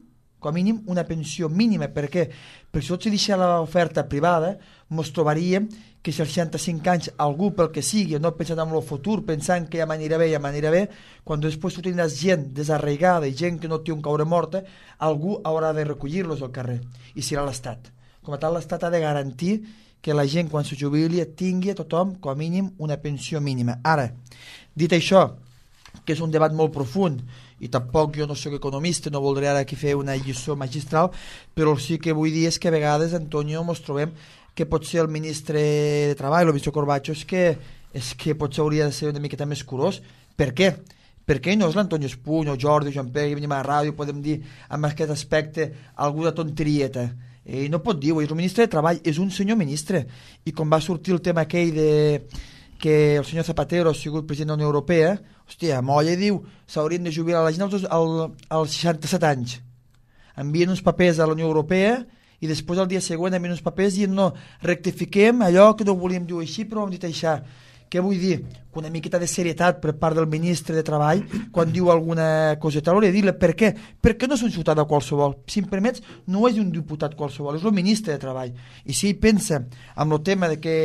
Speaker 4: com a mínim una pensió mínima. Per què? Perquè si tot se deixa l'oferta privada, ens trobaríem que si als seixanta-cinc anys algú pel que sigui, no pensant en el futur, pensant que ja m'anirà bé, ja m'anirà bé, quan després tu tindràs gent desarraigada i gent que no té un caure morta, algú haurà de recollir-los al carrer, i serà l'Estat. Com a tal, l'Estat ha de garantir que la gent, quan se jubili, tingui a tothom, com a mínim, una pensió mínima. Ara, dit això, que és un debat molt profund, i tampoc jo no soc economista, no voldré ara aquí fer una lliçó magistral, però sí que vull dir és que a vegades, Antonio, ens trobem que potser el ministre de Treball, el ministre Corbacho, és que, és que potser hauria de ser una miqueta més curós. Per què? Perquè no és l'Antonio Espuny o Jordi o Joan Pere, que venim a la ràdio, podem dir amb aquest aspecte alguna tonterieta. Ell no pot dir-ho, és el ministre de Treball, és un senyor ministre, i com va sortir el tema aquell de que el senyor Zapatero ha sigut president de la Unió Europea, hòstia, molla, diu, s'haurien de jubilar la gent als, als, als seixanta-set anys. Envien uns papers a la Unió Europea i després el dia següent envien uns papers i no, rectifiquem allò que no volíem dir així, però ho hem dit això. Què vull dir? Que una miqueta de serietat per part del ministre de Treball quan diu alguna coseta. Hauria de dir-le per què? Perquè no és un ciutadà qualsevol. Si em permets, no és un diputat qualsevol, és el ministre de Treball. I si ell pensa amb el tema de que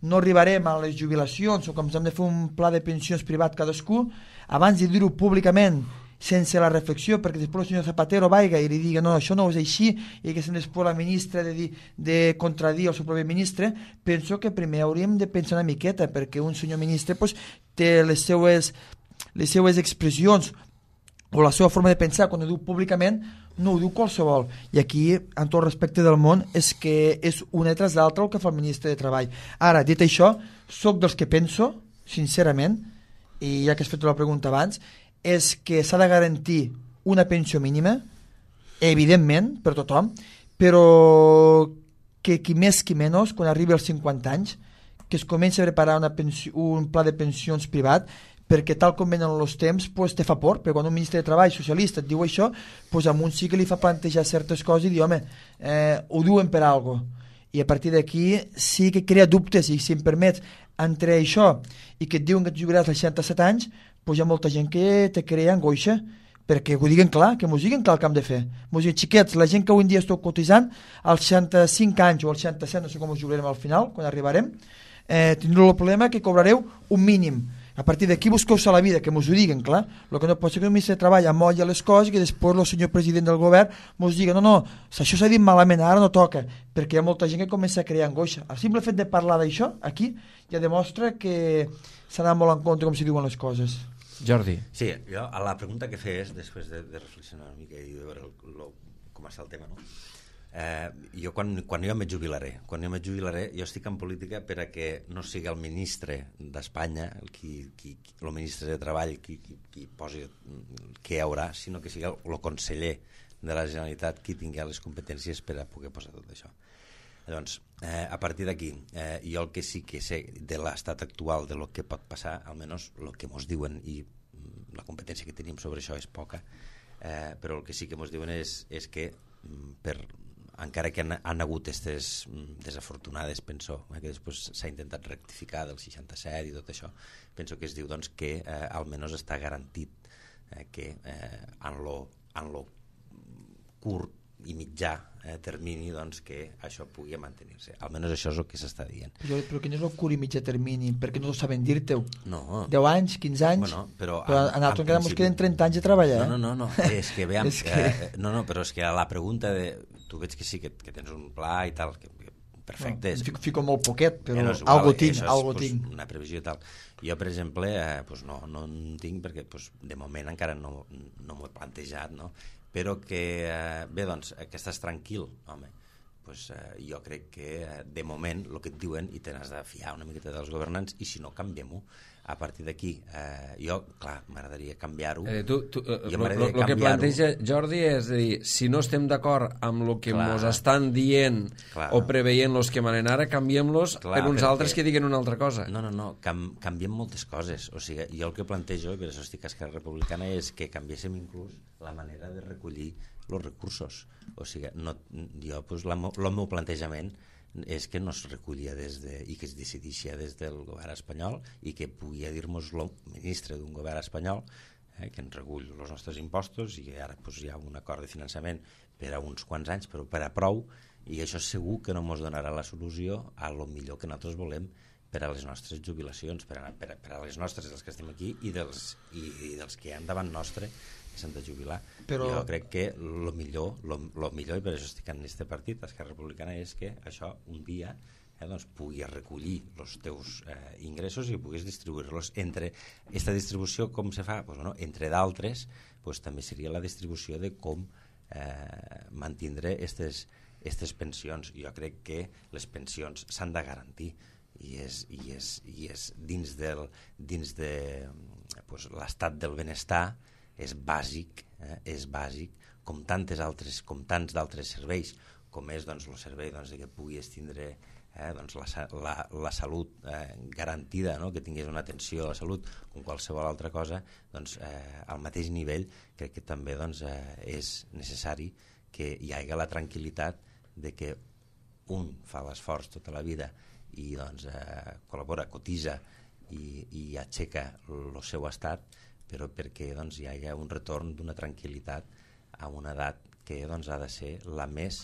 Speaker 4: no arribarem a les jubilacions o que ens hem de fer un pla de pensions privat cadascú, abans de dir-ho públicament sense la reflexió, perquè després el senyor Zapatero vaiga i li digui no, això no és així, i que se després la ministra de, dir, de contradir el seu propi ministre, penso que primer hauríem de pensar una miqueta, perquè un senyor ministre pues, té les seues, les seues expressions o la seva forma de pensar quan ho diu públicament, no ho diu qualsevol. I aquí, en tot respecte del món, és que és una tras l'altra el que fa el ministre de Treball. Ara, dit això, sóc dels que penso, sincerament, i ja que has fet la pregunta abans, és que s'ha de garantir una pensió mínima, evidentment, per tothom, però que qui més qui menys, quan arribi als cinquanta anys, que es comenci a preparar una pensió, un pla de pensions privat, perquè tal com venen els temps, pues, te fa por, perquè quan un ministre de Treball socialista et diu això, pues, a un sí que li fa plantejar certes coses i dir, home, eh, ho diuen per algo. I a partir d'aquí sí que crea dubtes, i si em permets, entre això i que et diuen que et jubilaràs als seixanta-set anys, pues hi ha molta gent que te crea angoixa, perquè ho diguen clar, que mos diguen clar el que hem de fer. Mos diguen, xiquets, la gent que avui en dia esteu cotitzant, als seixanta-cinc anys o als seixanta-set, no sé com us jubilarem al final, quan arribarem, eh, tindreu el problema que cobrareu un mínim. A partir d'aquí busqueu-se la vida, que mos ho diguen, clar. El que no pot ser que el ministre de Treball amolla les coses i que després el senyor president del govern mos digui, no, no, això s'ha dit malament, ara no toca, perquè hi ha molta gent que comença a crear angoixa. El simple fet de parlar d'això, aquí, ja demostra que s'ha molt en compte com s'hi diuen les coses.
Speaker 1: Jordi.
Speaker 3: Sí, jo a la pregunta que fes, després de, de reflexionar una mica i de veure el, el, com està el tema, no? Eh, jo quan, quan jo me jubilaré quan jo me jubilaré, jo estic en política per a que no sigui el ministre d'Espanya el, qui, qui, el ministre de Treball qui, qui, qui posi què hi haurà, sinó que sigui el, el conseller de la Generalitat qui tingui les competències per a poder posar tot això. Llavors, eh, a partir d'aquí, eh, jo el que sí que sé de l'estat actual, de lo que pot passar, almenys el que mos diuen, i la competència que tenim sobre això és poca, eh, però el que sí que mos diuen és, és que per, encara que han, han hagut aquestes desafortunades, penso, eh, que després s'ha intentat rectificar del seixanta-set i tot això, penso que es diu doncs, que eh, almenys està garantit eh, que eh, en lo, en lo curt i mitjà eh, termini doncs, que això pugui mantenir-se. Almenys això és el que s'està dient.
Speaker 4: Però, però que no és el curt i mitjà termini, perquè no ho saben dir-te-ho.
Speaker 3: No.
Speaker 4: deu anys, quinze anys,
Speaker 3: bueno, però,
Speaker 4: però en, en altres encara ens queden trenta anys de treballar.
Speaker 3: No, no, no, no. és que veiem...
Speaker 4: és que...
Speaker 3: Eh, no, no, però és que a la pregunta de... Tu veig que sí, que, que tens un pla i tal, que, que perfecte.
Speaker 4: No, fico, fico molt poquet, però
Speaker 3: eh, no
Speaker 4: algo tinc,
Speaker 3: és,
Speaker 4: algo
Speaker 3: pues,
Speaker 4: tinc.
Speaker 3: Una previsió i tal. Jo, per exemple, eh, pues no, no en tinc perquè pues, de moment encara no, no m'ho he plantejat, no? Però que, eh, bé, doncs, que estàs tranquil, home, pues, eh, jo crec que eh, de moment el que et diuen i te n'has de fiar una miqueta dels governants i si no, canviem-ho. A partir d'aquí, eh, jo, clar, m'agradaria canviar-ho.
Speaker 1: Eh, tu, tu, eh, el que planteja Jordi és dir, si no estem d'acord amb el que ens estan dient clar. O preveient els que manen ara, canviem-los per uns altres que diguen una altra cosa.
Speaker 3: No, no, no, cam, canviem moltes coses. O sigui, jo el que plantejo, i per això estic a Esquerra Republicana, és que canviéssim inclús la manera de recollir els recursos. O sigui, no, jo, pues, la, el meu plantejament és que no es recollia des de, i que es decidixia des del govern espanyol i que pugui dir-nos el ministre d'un govern espanyol eh, que ens recull els nostres impostos i que ara pues, hi ha un acord de finançament per a uns quants anys, però per a prou, i això segur que no ens donarà la solució a lo millor que nosaltres volem per a les nostres jubilacions, per a, per a, per a les nostres, dels que estem aquí i dels, i, i dels que hi ha davant nostre que s'han de jubilar. Però... Jo crec que el millor, lo, lo millor, i per això estic en aquest partit, Esquerra Republicana, és que això un dia eh, doncs, puguis recollir els teus eh, ingressos i puguis distribuir-los entre... Aquesta distribució com se fa? Pues, bueno, entre d'altres, pues, també seria la distribució de com eh, mantindre aquestes pensions. Jo crec que les pensions s'han de garantir i és, i és, i és dins, del, dins de pues, l'estat del benestar és bàsic, eh, és bàsic com tantes altres, com tants d'altres serveis, com és doncs, el servei doncs, de que puguis tindre eh, doncs, la, la, la salut eh, garantida, no? Que tinguis una atenció a la salut com qualsevol altra cosa, doncs, eh, al mateix nivell crec que també doncs, eh, és necessari que hi hagi la tranquil·litat de que un fa l'esforç tota la vida i doncs, eh, col·labora, cotitza i, i aixeca el seu estat, però perquè doncs, hi hagi un retorn d'una tranquil·litat a una edat que doncs, ha de ser la més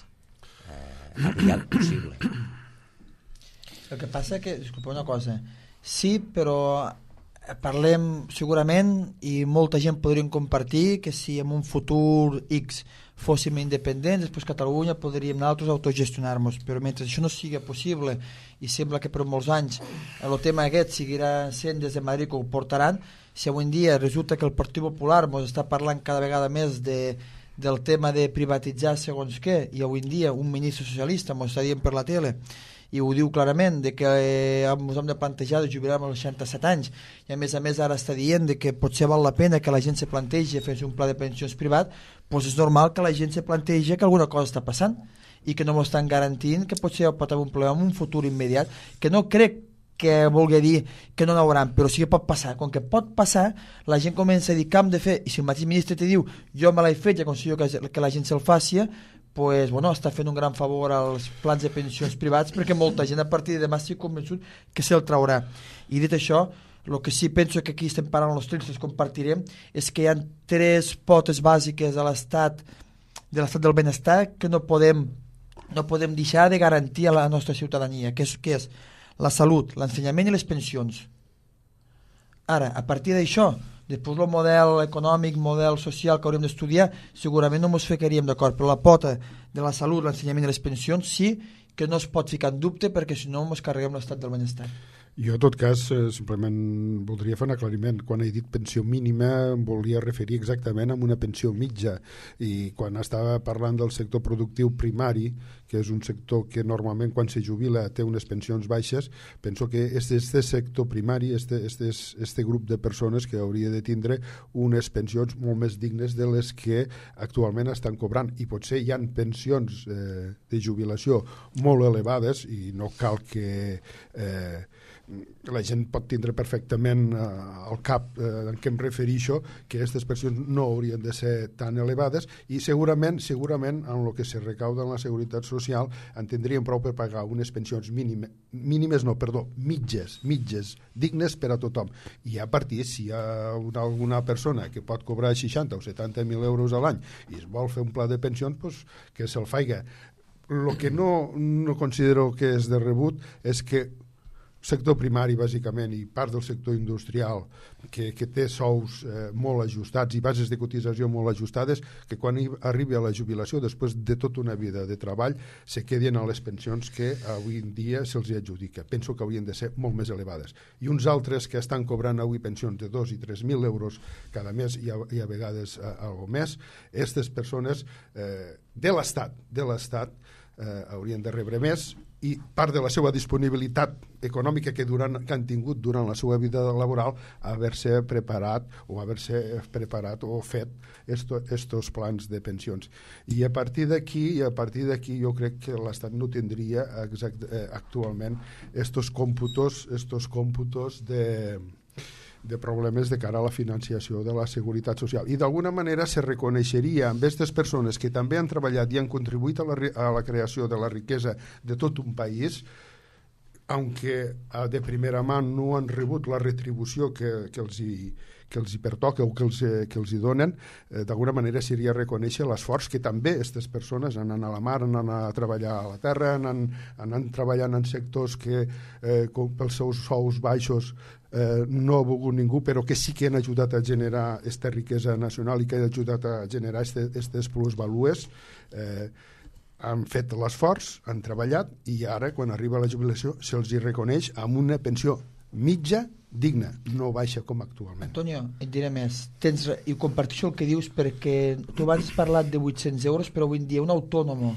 Speaker 3: eh, aviat possible.
Speaker 4: El que passa que, disculpa una cosa, sí, però parlem segurament i molta gent podríem compartir que si en un futur X fóssim independents, després Catalunya podríem nosaltres autogestionar-nos, però mentre això no sigui possible i sembla que per molts anys el tema aquest seguirà sent des de Madrid que ho portaran, si avui en dia resulta que el Partit Popular ens està parlant cada vegada més de, del tema de privatitzar segons què, i avui en dia un ministre socialista ens està dient per la tele i ho diu clarament, de que eh, ens hem de plantejar de jubilar als seixanta-set anys, i a més a més ara està dient de que potser val la pena que la gent se plantegi fer un pla de pensions privat, doncs és normal que la gent se plantegi que alguna cosa està passant i que no m'ho estan garantint, que potser pot haver un problema en un futur immediat, que no crec que vulgui dir que no n'hauran, però sí que pot passar. Com que pot passar, la gent comença a dir què hem de fer, i si el mateix ministre te diu jo me l'he fet i aconsello que, que la gent se'l faci, pues, bueno, està fent un gran favor als plans de pensions privats, perquè molta gent a partir de demà estic convençut que se'l traurà. I dit això, el que sí penso que aquí estem parlant els tres, els compartirem, és que hi ha tres potes bàsiques a l'estat de l'estat del benestar que no podem, no podem deixar de garantir a la nostra ciutadania, que és, que és la salut, l'ensenyament i les pensions. Ara, a partir d'això, després el model econòmic, model social que hauríem d'estudiar, segurament no ens ficaríem d'acord, però la pota de la salut, l'ensenyament i les pensions sí que no es pot ficar en dubte perquè si no ens carreguem l'estat del benestar.
Speaker 2: Jo, en tot cas, eh, simplement voldria fer un aclariment. Quan he dit pensió mínima em volia referir exactament a una pensió mitja, i quan estava parlant del sector productiu primari, que és un sector que normalment quan se jubila té unes pensions baixes, penso que este, este sector primari, este, este, este grup de persones que hauria de tindre unes pensions molt més dignes de les que actualment estan cobrant, i potser hi ha pensions eh, de jubilació molt elevades i no cal que eh, la gent pot tindre perfectament eh, al cap eh, en què em refereixo, que aquestes pensions no haurien de ser tan elevades, i segurament segurament en el que se recauda en la seguretat social en tindríem prou per pagar unes pensions mínimes, mínimes no, perdó, mitges, mitges, dignes per a tothom. I a partir, si hi ha una, alguna persona que pot cobrar seixanta o setanta mil euros a l'any i es vol fer un pla de pensions, pues, que se'l faiga. El que no, no considero que és de rebut és que sector primari, bàsicament, i part del sector industrial, que, que té sous eh, molt ajustats i bases de cotització molt ajustades, que quan arribi a la jubilació, després de tota una vida de treball, se quedin a les pensions que avui en dia se'ls adjudica. Penso que haurien de ser molt més elevades. I uns altres que estan cobrant avui pensions de dos i tres mil euros cada mes i a, i a vegades a, a al mes, aquestes persones eh, de l'Estat, de l'Estat eh, haurien de rebre més, i part de la seva disponibilitat econòmica que, durant, que han tingut durant la seva vida laboral haver-se preparat o haver-se preparat o fet esto, estos plans de pensions. I a partir d'aquí, i a partir d'aquí jo crec que l'Estat no tindria exact, eh, actualment estos còmputos, estos còmputos de de problemes de cara a la financiació de la seguretat social. I d'alguna manera se reconeixeria amb aquestes persones que també han treballat i han contribuït a la, a la creació de la riquesa de tot un país, aunque de primera mà no han rebut la retribució que, que, els, hi, que els hi pertoca o que els, que els hi donen, eh, d'alguna manera seria reconèixer l'esforç que també aquestes persones han anat a la mar, han anat a treballar a la terra, han anat treballant en sectors que eh, com pels seus sous baixos eh, no ha volgut ningú, però que sí que han ajudat a generar aquesta riquesa nacional i que han ajudat a generar aquestes plusvalues. eh, han fet l'esforç, han treballat, i ara, quan arriba la jubilació, se'ls hi reconeix amb una pensió mitja digna, no baixa com actualment.
Speaker 4: Antonio, et diré més, tens, i comparteixo el que dius, perquè tu abans has parlat de vuit-cents euros, però avui en dia un autònom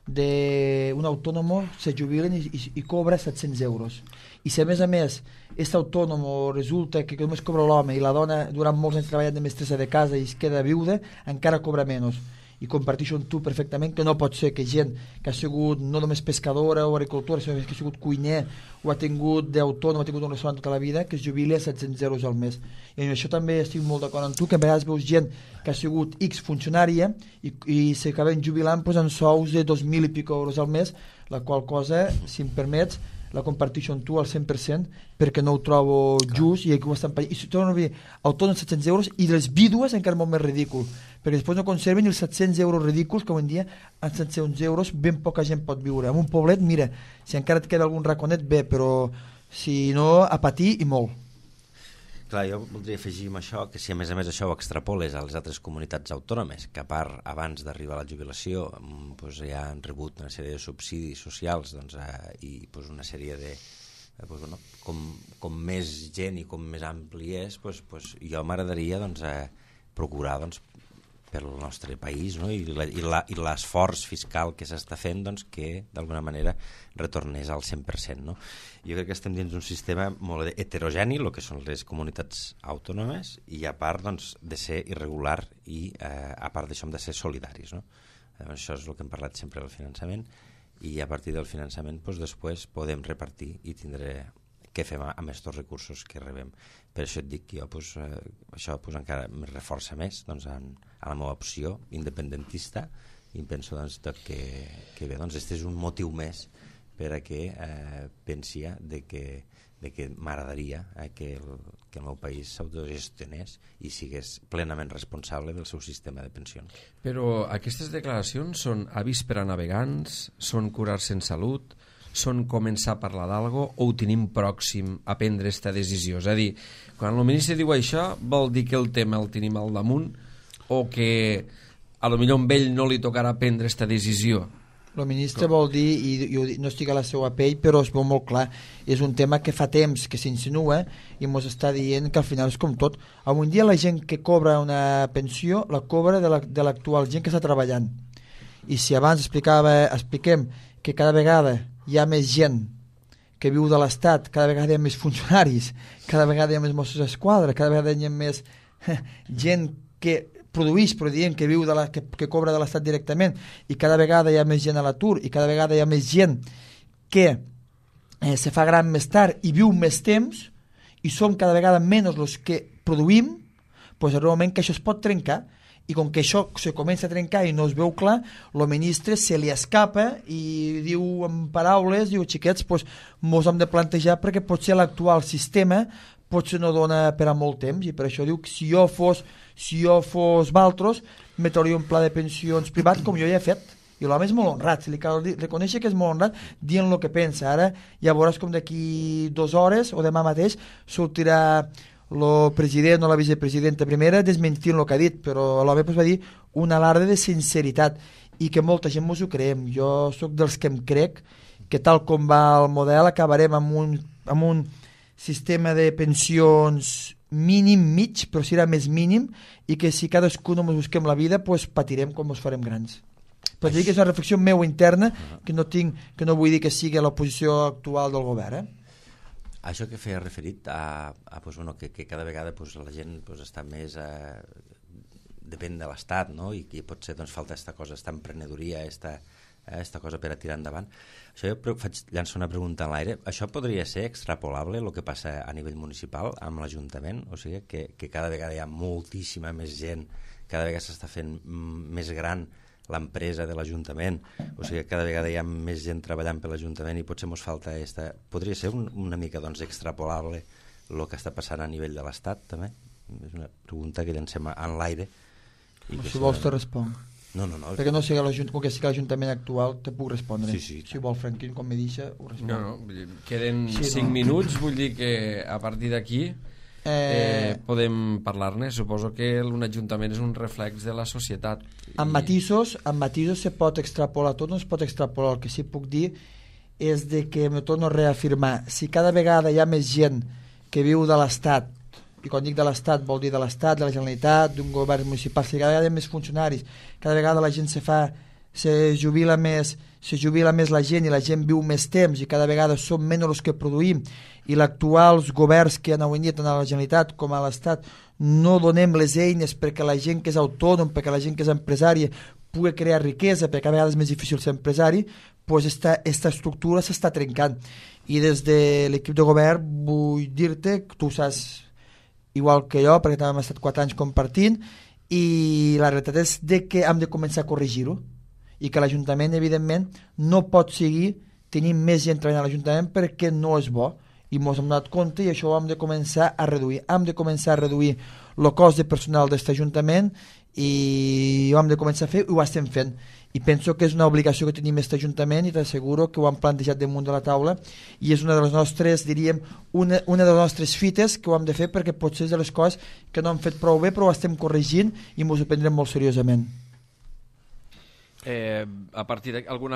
Speaker 4: de un autònom se jubilen i, i, i cobra set-cents euros, i si a més a més aquest autònom resulta que només cobra l'home i la dona durant molts anys treballant de mestressa de casa i es queda viuda, encara cobra menys. I comparteixo amb tu perfectament que no pot ser que gent que ha sigut no només pescadora o agricultora, sinó que ha sigut cuiner o ha tingut d'autònom, ha tingut un restaurant tota la vida, que es jubili a set-cents euros al mes. I en això també estic molt d'acord amb tu, que a vegades veus gent que ha sigut X funcionària i, i s'acaben jubilant pues, en sous de dos mil i pico euros al mes, la qual cosa, si em permets, la comparteixo amb tu al cent per cent perquè no ho trobo just, i aquí ho estan pagant. I si torno a dir autònoms set-cents euros, i les vídues encara molt més ridícul, perquè després no conserven els set-cents euros ridículs que avui en dia amb set-cents euros ben poca gent pot viure. En un poblet, mira, si encara et queda algun raconet bé, però si no, a patir i molt.
Speaker 3: Clar, jo voldria afegir amb això que si a més a més això ho extrapoles a les altres comunitats autònomes, que a part abans d'arribar a la jubilació doncs, ja han rebut una sèrie de subsidis socials doncs, eh, i doncs, una sèrie de... Eh, doncs, bueno, com, com més gent i com més ampli és, doncs, doncs, jo m'agradaria doncs, eh, procurar doncs, pel nostre país, no? i l'esforç fiscal que s'està fent doncs, que d'alguna manera retornés al cent per cent. No? Jo crec que estem dins d'un sistema molt heterogeni, el que són les comunitats autònomes, i a part doncs, de ser irregular i eh, a part d'això hem de ser solidaris. No? Eh, això és el que hem parlat sempre del finançament, i a partir del finançament doncs, després podem repartir i tindre què fem amb aquests recursos que rebem. Per això et dic que jo pues, eh, això pues, encara me reforça més doncs, en, en la meva opció independentista, i em penso doncs, que, que bé, doncs, este és un motiu més per a que eh, pensi de que, de que m'agradaria eh, que, el, que el meu país s'autogestionés i sigués plenament responsable del seu sistema de pensions.
Speaker 1: Però aquestes declaracions són avís per a navegants, són curar-se en salut, són començar a parlar d'algo o ho tenim pròxim a prendre aquesta decisió? És a dir, quan el ministre diu això, vol dir que el tema el tenim al damunt o que a lo millor a ell no li tocarà prendre aquesta decisió?
Speaker 4: El ministre vol dir, i jo no estic a la seva pell, però es veu molt clar, és un tema que fa temps que s'insinua i ens està dient que al final és com tot. Avui dia la gent que cobra una pensió la cobra de l'actual la, gent que està treballant. I si abans explicava, expliquem que cada vegada hi ha més gent que viu de l'Estat, cada vegada hi ha més funcionaris, cada vegada hi ha més Mossos d'Esquadra, cada vegada hi ha més gent que produeix, però dient que viu de la, que, que cobra de l'Estat directament, i cada vegada hi ha més gent a l'atur, i cada vegada hi ha més gent que eh, se fa gran més tard i viu més temps, i som cada vegada menys els que produïm, doncs arriba un moment que això es pot trencar, i com que això se comença a trencar i no es veu clar, el ministre se li escapa i diu en paraules, diu, xiquets, doncs mos hem de plantejar perquè potser l'actual sistema potser no dona per a molt temps, i per això diu que si jo fos si jo fos Valtros metauria un pla de pensions privat com jo ja he fet, i l'home és molt honrat, se li cal reconèixer que és molt honrat dient el que pensa. Ara ja veuràs com d'aquí dues hores o demà mateix sortirà el president o la vicepresidenta primera desmentint el que ha dit, però l'home pues, va dir un alarde de sinceritat i que molta gent mos ho creem. Jo sóc dels que em crec que tal com va el model acabarem amb un, amb un sistema de pensions mínim, mig, però serà més mínim, i que si cadascú no ens busquem la vida, pues patirem com ens farem grans. Però dic que és una reflexió meu interna, que no tinc, que no vull dir que sigui la posició actual del govern. Eh?
Speaker 3: Això que feia referit a, a pues, bueno, que, que cada vegada pues, la gent pues, està més... Eh, depèn de l'Estat, no? I que potser doncs, falta aquesta cosa, aquesta emprenedoria, aquesta, eh, esta cosa per a tirar endavant. Això jo faig llançar una pregunta en l'aire. Això podria ser extrapolable el que passa a nivell municipal amb l'Ajuntament? O sigui, que, que cada vegada hi ha moltíssima més gent, cada vegada s'està fent més gran l'empresa de l'Ajuntament, o sigui, cada vegada hi ha més gent treballant per l'Ajuntament i potser ens falta esta... Podria ser un, una mica doncs, extrapolable el que està passant a nivell de l'Estat, també? És una pregunta que llancem en l'aire.
Speaker 4: I si vols te responc.
Speaker 3: No, no, no.
Speaker 4: Perquè no sigui l'Ajuntament, com que sigui l'Ajuntament actual, te puc respondre.
Speaker 3: Sí, sí.
Speaker 4: Si vol, Franquín, com me deixa, ho responc.
Speaker 1: No, no, vull dir, queden
Speaker 4: sí,
Speaker 1: cinc
Speaker 4: no.
Speaker 1: minuts, vull dir que a partir d'aquí eh... eh, podem parlar-ne. Suposo que un ajuntament és un reflex de la societat.
Speaker 4: Amb
Speaker 1: I...
Speaker 4: matisos, amb matisos se pot extrapolar, tot no es pot extrapolar. El que sí puc dir és de que me torno a reafirmar, si cada vegada hi ha més gent que viu de l'Estat, i quan dic de l'Estat vol dir de l'Estat, de la Generalitat, d'un govern municipal, si cada vegada hi ha més funcionaris, cada vegada la gent se fa, se jubila més, se jubila més la gent i la gent viu més temps i cada vegada som menys els que produïm i l'actuals governs que han avui tant a la Generalitat com a l'Estat no donem les eines perquè la gent que és autònom, perquè la gent que és empresària pugui crear riquesa, perquè cada vegada és més difícil ser empresari, doncs esta, esta estructura s'està trencant. I des de l'equip de govern vull dir-te que tu saps igual que jo, perquè també hem estat quatre anys compartint, i la realitat és de que hem de començar a corregir-ho, i que l'Ajuntament, evidentment, no pot seguir tenint més gent treballant a l'Ajuntament perquè no és bo, i ens hem donat compte i això ho hem de començar a reduir. Hem de començar a reduir el cost de personal d'aquest Ajuntament i ho hem de començar a fer i ho estem fent. I penso que és una obligació que tenim aquest Ajuntament i t'asseguro que ho hem plantejat damunt de la taula i és una de les nostres, diríem, una, una de les nostres fites que ho hem de fer perquè potser és de les coses que no hem fet prou bé però ho estem corregint i ens ho prendrem molt seriosament.
Speaker 1: Eh, a partir d'aquí, algun,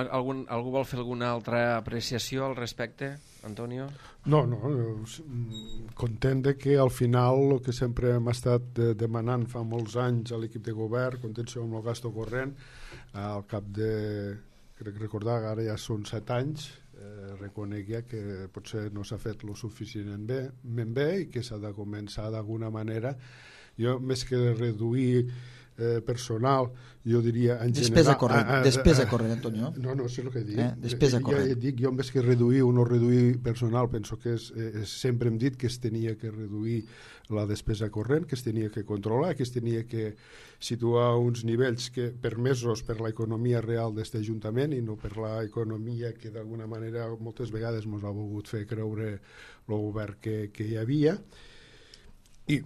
Speaker 1: algú vol fer alguna altra apreciació al respecte, Antonio?
Speaker 2: No, no, content de que al final el que sempre hem estat demanant fa molts anys a l'equip de govern, contenció amb el gasto corrent, al cap de, crec recordar que ara ja són set anys, eh, reconec ja que potser no s'ha fet lo suficientment bé, ben bé i que s'ha de començar d'alguna manera. Jo, més que reduir eh, personal, jo diria en
Speaker 4: despesa
Speaker 2: general...
Speaker 4: corrent,
Speaker 2: a, a,
Speaker 4: despesa
Speaker 2: a,
Speaker 4: corrent, Antonio.
Speaker 2: No, no, és el que dic.
Speaker 4: Eh? Despesa
Speaker 2: jo,
Speaker 4: corrent.
Speaker 2: jo, dic, jo més que reduir o no reduir personal, penso que és, és, sempre hem dit que es tenia que reduir la despesa corrent, que es tenia que controlar, que es tenia que situar uns nivells que permesos per l'economia real d'aquest Ajuntament i no per l'economia que d'alguna manera moltes vegades ens ha volgut fer creure el govern que, que hi havia. I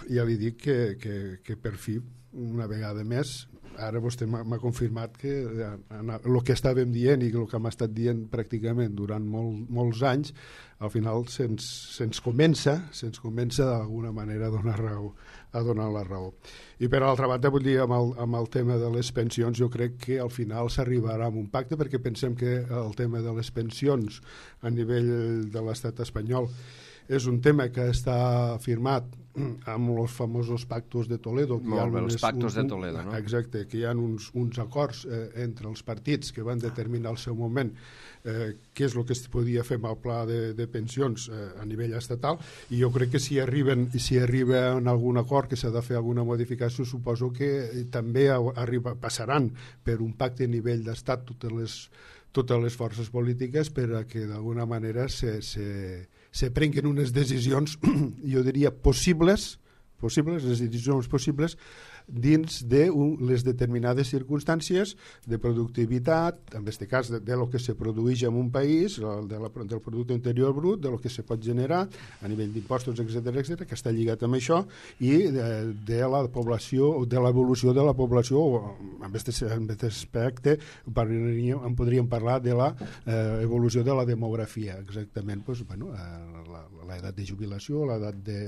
Speaker 2: ja li dic que, que, que per fi, una vegada més, ara vostè m'ha confirmat que el que estàvem dient i el que hem estat dient pràcticament durant molt, molts anys, al final se'ns se comença, se'ns comença d'alguna manera a donar raó, a donar la raó. I per altra banda, vull dir, amb el, amb el tema de les pensions, jo crec que al final s'arribarà a un pacte, perquè pensem que el tema de les pensions a nivell de l'estat espanyol és un tema que està firmat amb els famosos pactos de Toledo. Que
Speaker 1: Molt
Speaker 2: hi ha
Speaker 1: bé,
Speaker 2: unes,
Speaker 1: els pactos
Speaker 2: un,
Speaker 1: de Toledo, no?
Speaker 2: Exacte, que hi ha uns, uns acords eh, entre els partits que van determinar al seu moment eh, què és el que es podia fer amb el pla de, de pensions eh, a nivell estatal, i jo crec que si arriben si arriba en algun acord que s'ha de fer alguna modificació, suposo que eh, també arriba, passaran per un pacte a nivell d'estat totes les, totes les forces polítiques per a que d'alguna manera se, se se prenguen unes decisions, jo diria, possibles, possibles, les decisions possibles, dins de un, les determinades circumstàncies de productivitat, en aquest cas de, de lo que se produeix en un país, de la, del producte interior brut, de lo que se pot generar a nivell d'impostos, etcètera, etcètera, que està lligat amb això, i de, de la població, de l'evolució de la població, en aquest aspecte podríem, en podríem parlar de la eh, evolució de la demografia, exactament, pues, bueno, l'edat de jubilació, l'edat de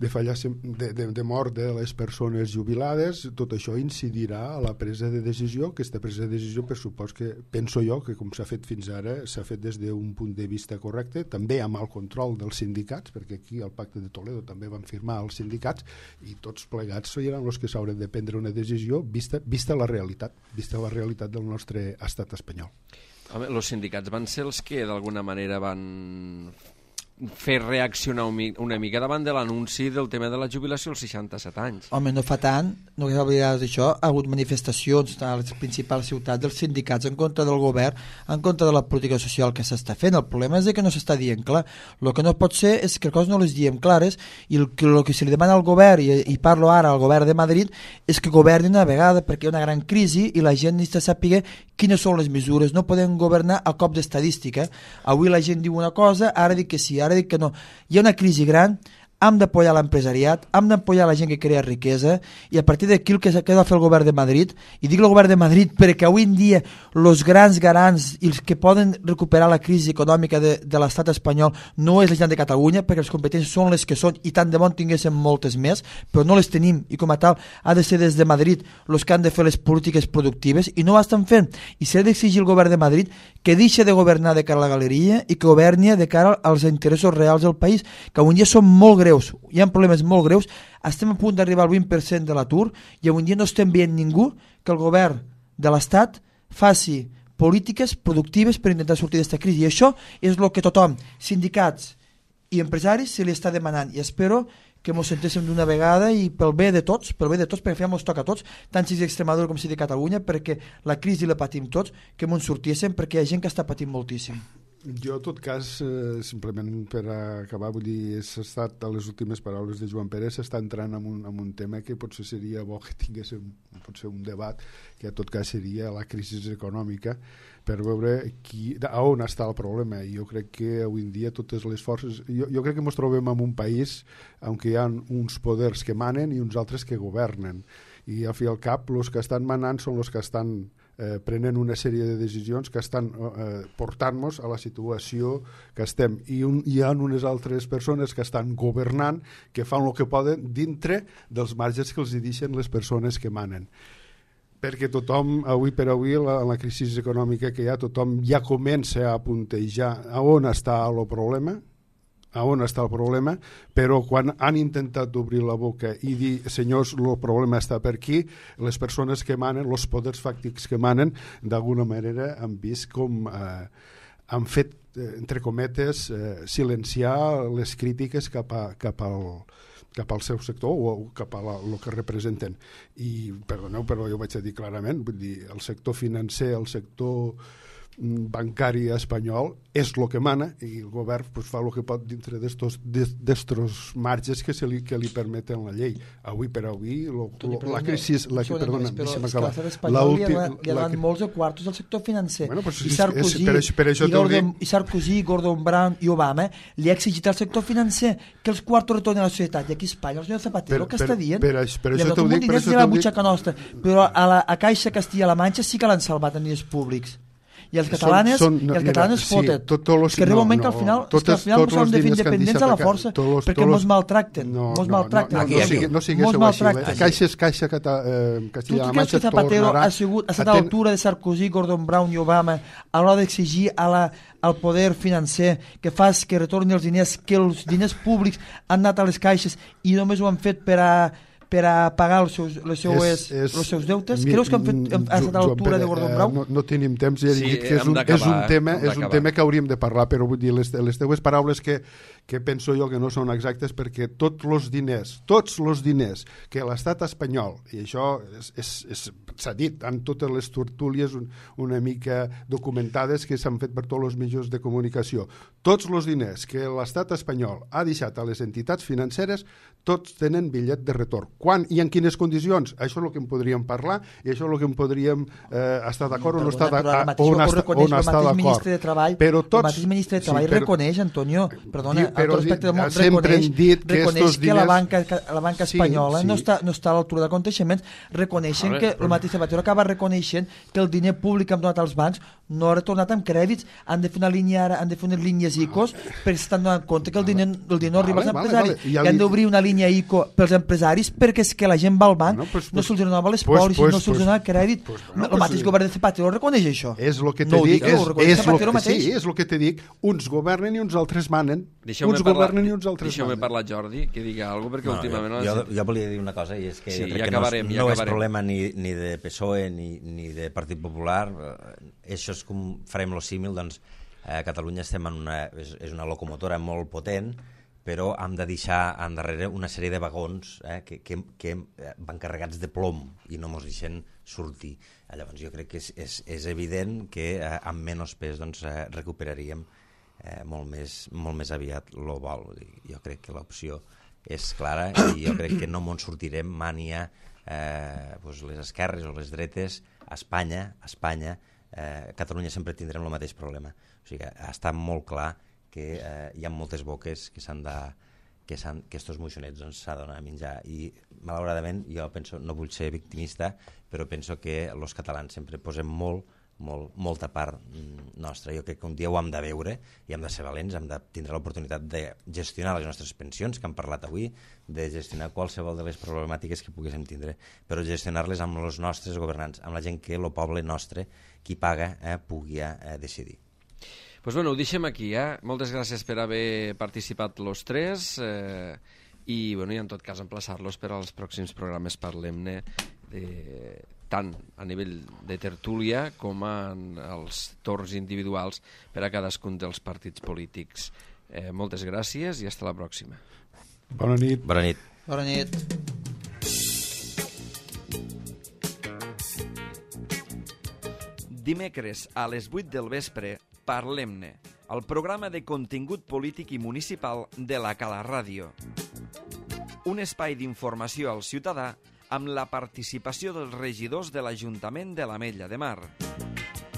Speaker 2: de, fallar, de, de, de mort de les persones jubilades, tot això incidirà a la presa de decisió, que aquesta presa de decisió, per supòs que, penso jo, que com s'ha fet fins ara, s'ha fet des d'un punt de vista correcte, també amb el control dels sindicats, perquè aquí al Pacte de Toledo també van firmar els sindicats, i tots plegats seran els que s'hauran de prendre una decisió vista, vista la realitat, vista la realitat del nostre estat espanyol.
Speaker 1: Home, els sindicats van ser els que d'alguna manera van fer reaccionar una mica davant de l'anunci del tema de la jubilació als seixanta-set anys.
Speaker 4: Home, no fa tant, no cal oblidar d'això, ha hagut manifestacions a les principals ciutats dels sindicats en contra del govern, en contra de la política social que s'està fent. El problema és que no s'està dient clar. El que no pot ser és que les coses no les diem clares, i el que, el que se li demana al govern, i, i parlo ara al govern de Madrid, és que governin una vegada, perquè hi ha una gran crisi i la gent necessita saber quines són les mesures. No podem governar a cop d'estadística. Avui la gent diu una cosa, ara dic que sí, ara dic que no. Hi ha una crisi gran, hem d'apoyar l'empresariat, hem d'apoyar la gent que crea riquesa, i a partir d'aquí el que ha de fer el govern de Madrid, i dic el govern de Madrid perquè avui en dia els grans garants i els que poden recuperar la crisi econòmica de, de l'estat espanyol no és la gent de Catalunya, perquè les competències són les que són, i tant de bon tinguéssim moltes més, però no les tenim, i com a tal ha de ser des de Madrid els que han de fer les polítiques productives, i no ho estan fent, i s'ha d'exigir el govern de Madrid que deixi de governar de cara a la galeria i que governi de cara als interessos reals del país, que avui en dia són molt greus. Hi ha problemes molt greus, estem a punt d'arribar al vint per cent de l'atur, i avui en dia no estem veient ningú que el govern de l'Estat faci polítiques productives per intentar sortir d'aquesta crisi, i això és el que tothom, sindicats i empresaris, se li està demanant, i espero que ens sentéssim d'una vegada, i pel bé de tots, pel bé de tots, perquè al final ens toca a tots, tant si és d'Extremadura com si de Catalunya, perquè la crisi la patim tots, que ens sortíssim, perquè hi ha gent que està patint moltíssim.
Speaker 2: Jo, en tot cas, eh, simplement per acabar, vull dir, s'ha estat, a les últimes paraules de Joan Pérez, s'està entrant en un, en un tema que potser seria bo que tinguéssim potser un debat, que en tot cas seria la crisi econòmica, per veure qui, a on està el problema. I jo crec que avui en dia totes les forces... Jo, jo crec que ens trobem en un país on hi ha uns poders que manen i uns altres que governen. I al fi i al cap, els que estan manant són els que estan eh, prenent una sèrie de decisions que estan eh, portant-nos a la situació que estem. I un, hi ha unes altres persones que estan governant, que fan el que poden dintre dels marges que els deixen les persones que manen. Perquè tothom, avui per avui, la, la crisi econòmica que hi ha, tothom ja comença a puntejar a on està el problema, a on està el problema, però quan han intentat obrir la boca i dir, senyors, el problema està per aquí, les persones que manen, els poders fàctics que manen, d'alguna manera han vist com eh, han fet, eh, entre cometes, eh, silenciar les crítiques cap, a, cap, al, cap al seu sector o cap a la, el que representen. I, perdoneu, però jo vaig a dir clarament, vull dir, el sector financer, el sector bancari espanyol és el que mana i el govern pues, fa el que pot dintre d'estos marges que, se li, que li permeten la llei. Avui per avui lo, lo, la crisi... La que, perdona, deixa'm acabar.
Speaker 4: L'estat espanyol li ha donat molts de quartos al sector financer.
Speaker 2: Bueno, pues,
Speaker 4: I Sarkozy,
Speaker 2: és, per, per això
Speaker 4: i, Gordon, i Sarkozy, Gordon Brown i Obama li ha exigit al sector financer que els quartos retornen a la societat. I aquí a Espanya el senyor Zapatero
Speaker 2: per,
Speaker 4: que està dient
Speaker 2: per, per, per això
Speaker 4: t'ho dic,
Speaker 2: per això
Speaker 4: t'ho dic. Nostra, però a, la, a Caixa Castilla-La Manxa sí que l'han salvat en diners públics. I els catalanes, són, són, no, i els catalanes mira, foten. Sí, tot, tot los, que arriba un moment no, que al final, totes, que al final mos hem de fer independents a la força los, perquè mos maltracten. No, mos no, maltracten.
Speaker 2: No, no, no, no, no siguéssiu així. Eh? Caixa és Caixa eh, Castilla-La Manxa.
Speaker 4: Tu creus que Zapatero ha, sigut, ha estat a l'altura de Sarkozy, Gordon Brown i Obama a l'hora d'exigir a la, al poder financer que fas que retorni els diners, que els diners públics han anat a les caixes i només ho han fet per a per a pagar els seus, les seues, és, és, els seus deutes? Mi, Creus que han, fet, han estat a l'altura de Gordon Brown?
Speaker 2: No, no tenim temps, ja he dit que és un, és un tema és un tema que hauríem de parlar, però vull dir, les, les teues paraules que, que penso jo que no són exactes perquè tots els diners, tots els diners que l'estat espanyol, i això és, és, és, s'ha dit en totes les tertúlies un, una mica documentades que s'han fet per tots els mitjans de comunicació, tots els diners que l'estat espanyol ha deixat a les entitats financeres, tots tenen bitllet de retorn. Quan i en quines condicions? Això és el que en podríem parlar i això és el que en podríem eh, estar d'acord o no estar d'acord.
Speaker 4: On està d'acord. Però tots... El mateix ministre de Treball sí, però, reconeix, Antonio, perdona, sí, però, respecte del món, reconeix, dit que, reconeix que diners... la banca, la banca espanyola sí, sí. No, està, no està a l'altura de coneixements, reconeixen veure, que però... el mateix Zapatero acaba reconeixent que el diner públic que han donat als bancs no ha retornat amb crèdits, han de fer una línia ara, han de fer unes línies I C O perquè s'estan donant compte que el diner, el diner no arriba als empresaris vale, vale. I, I han d'obrir una línia I C O pels empresaris perquè és que la gent va al banc, bueno, pues, no se'ls donava les pues, pòlisses, pues, no se'ls pues, donava crèdit. Pues, bueno, el mateix pues, govern de Zapatero reconeix això.
Speaker 2: És el que te no dic, és, és, lo que, sí, és el que te dic, uns governen i uns altres manen. Uns governen i uns altres
Speaker 1: manen. Deixeu-me parlar, Jordi, que digui alguna cosa, perquè no, últimament...
Speaker 3: Jo, jo, jo volia dir una cosa, i és que
Speaker 1: sí,
Speaker 3: jo crec
Speaker 1: ja
Speaker 3: que
Speaker 1: acabarem,
Speaker 3: no, és,
Speaker 1: ja
Speaker 3: no
Speaker 1: acabarem.
Speaker 3: és problema ni, ni de P S O E ni, ni de Partit Popular. Això és com farem lo símil, doncs a Catalunya estem en una, és, és una locomotora molt potent, però hem de deixar endarrere una sèrie de vagons eh, que, que, que van carregats de plom i no ens deixen sortir. Llavors jo crec que és, és, és evident que eh, amb menys pes doncs, eh, recuperaríem eh, molt, més, molt més aviat el vol. Jo crec que l'opció és clara i jo crec que no ens sortirem mania eh, doncs les esquerres o les dretes a Espanya, a Espanya eh, Catalunya sempre tindrem el mateix problema. O sigui, està molt clar que eh, hi ha moltes boques que s'han de que, s'han, que estos moixonets doncs, s'ha de donar a menjar i malauradament jo penso, no vull ser victimista, però penso que els catalans sempre posem molt, molt, molta part nostra. Jo crec que un dia ho hem de veure i hem de ser valents, hem de tindre l'oportunitat de gestionar les nostres pensions, que hem parlat avui, de gestionar qualsevol de les problemàtiques que poguéssim tindre, però gestionar-les amb els nostres governants, amb la gent que el poble nostre, qui paga, eh, pugui eh, decidir.
Speaker 1: Pues bueno, ho deixem aquí, eh? Moltes gràcies per haver participat los tres eh, i, bueno, i en tot cas emplaçar-los per als pròxims programes Parlem-ne eh, tant a nivell de tertúlia com en els torns individuals per a cadascun dels partits polítics. Eh, moltes gràcies i fins la pròxima.
Speaker 2: Bona nit.
Speaker 3: Bona nit.
Speaker 4: Bona nit.
Speaker 1: Dimecres a les vuit del vespre Parlem-ne, el programa de contingut polític i municipal de la Cala Ràdio. Un espai d'informació al ciutadà amb la participació dels regidors de l'Ajuntament de l'Ametlla de Mar.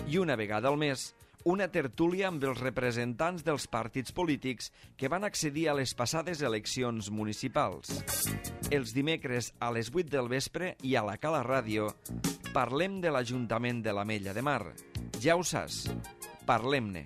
Speaker 1: I una vegada al mes, una tertúlia amb els representants dels partits polítics que van accedir a les passades eleccions municipals. Els dimecres a les vuit del vespre i a la Cala Ràdio parlem de l'Ajuntament de l'Ametlla de Mar. Ja ho saps, Parlem-ne.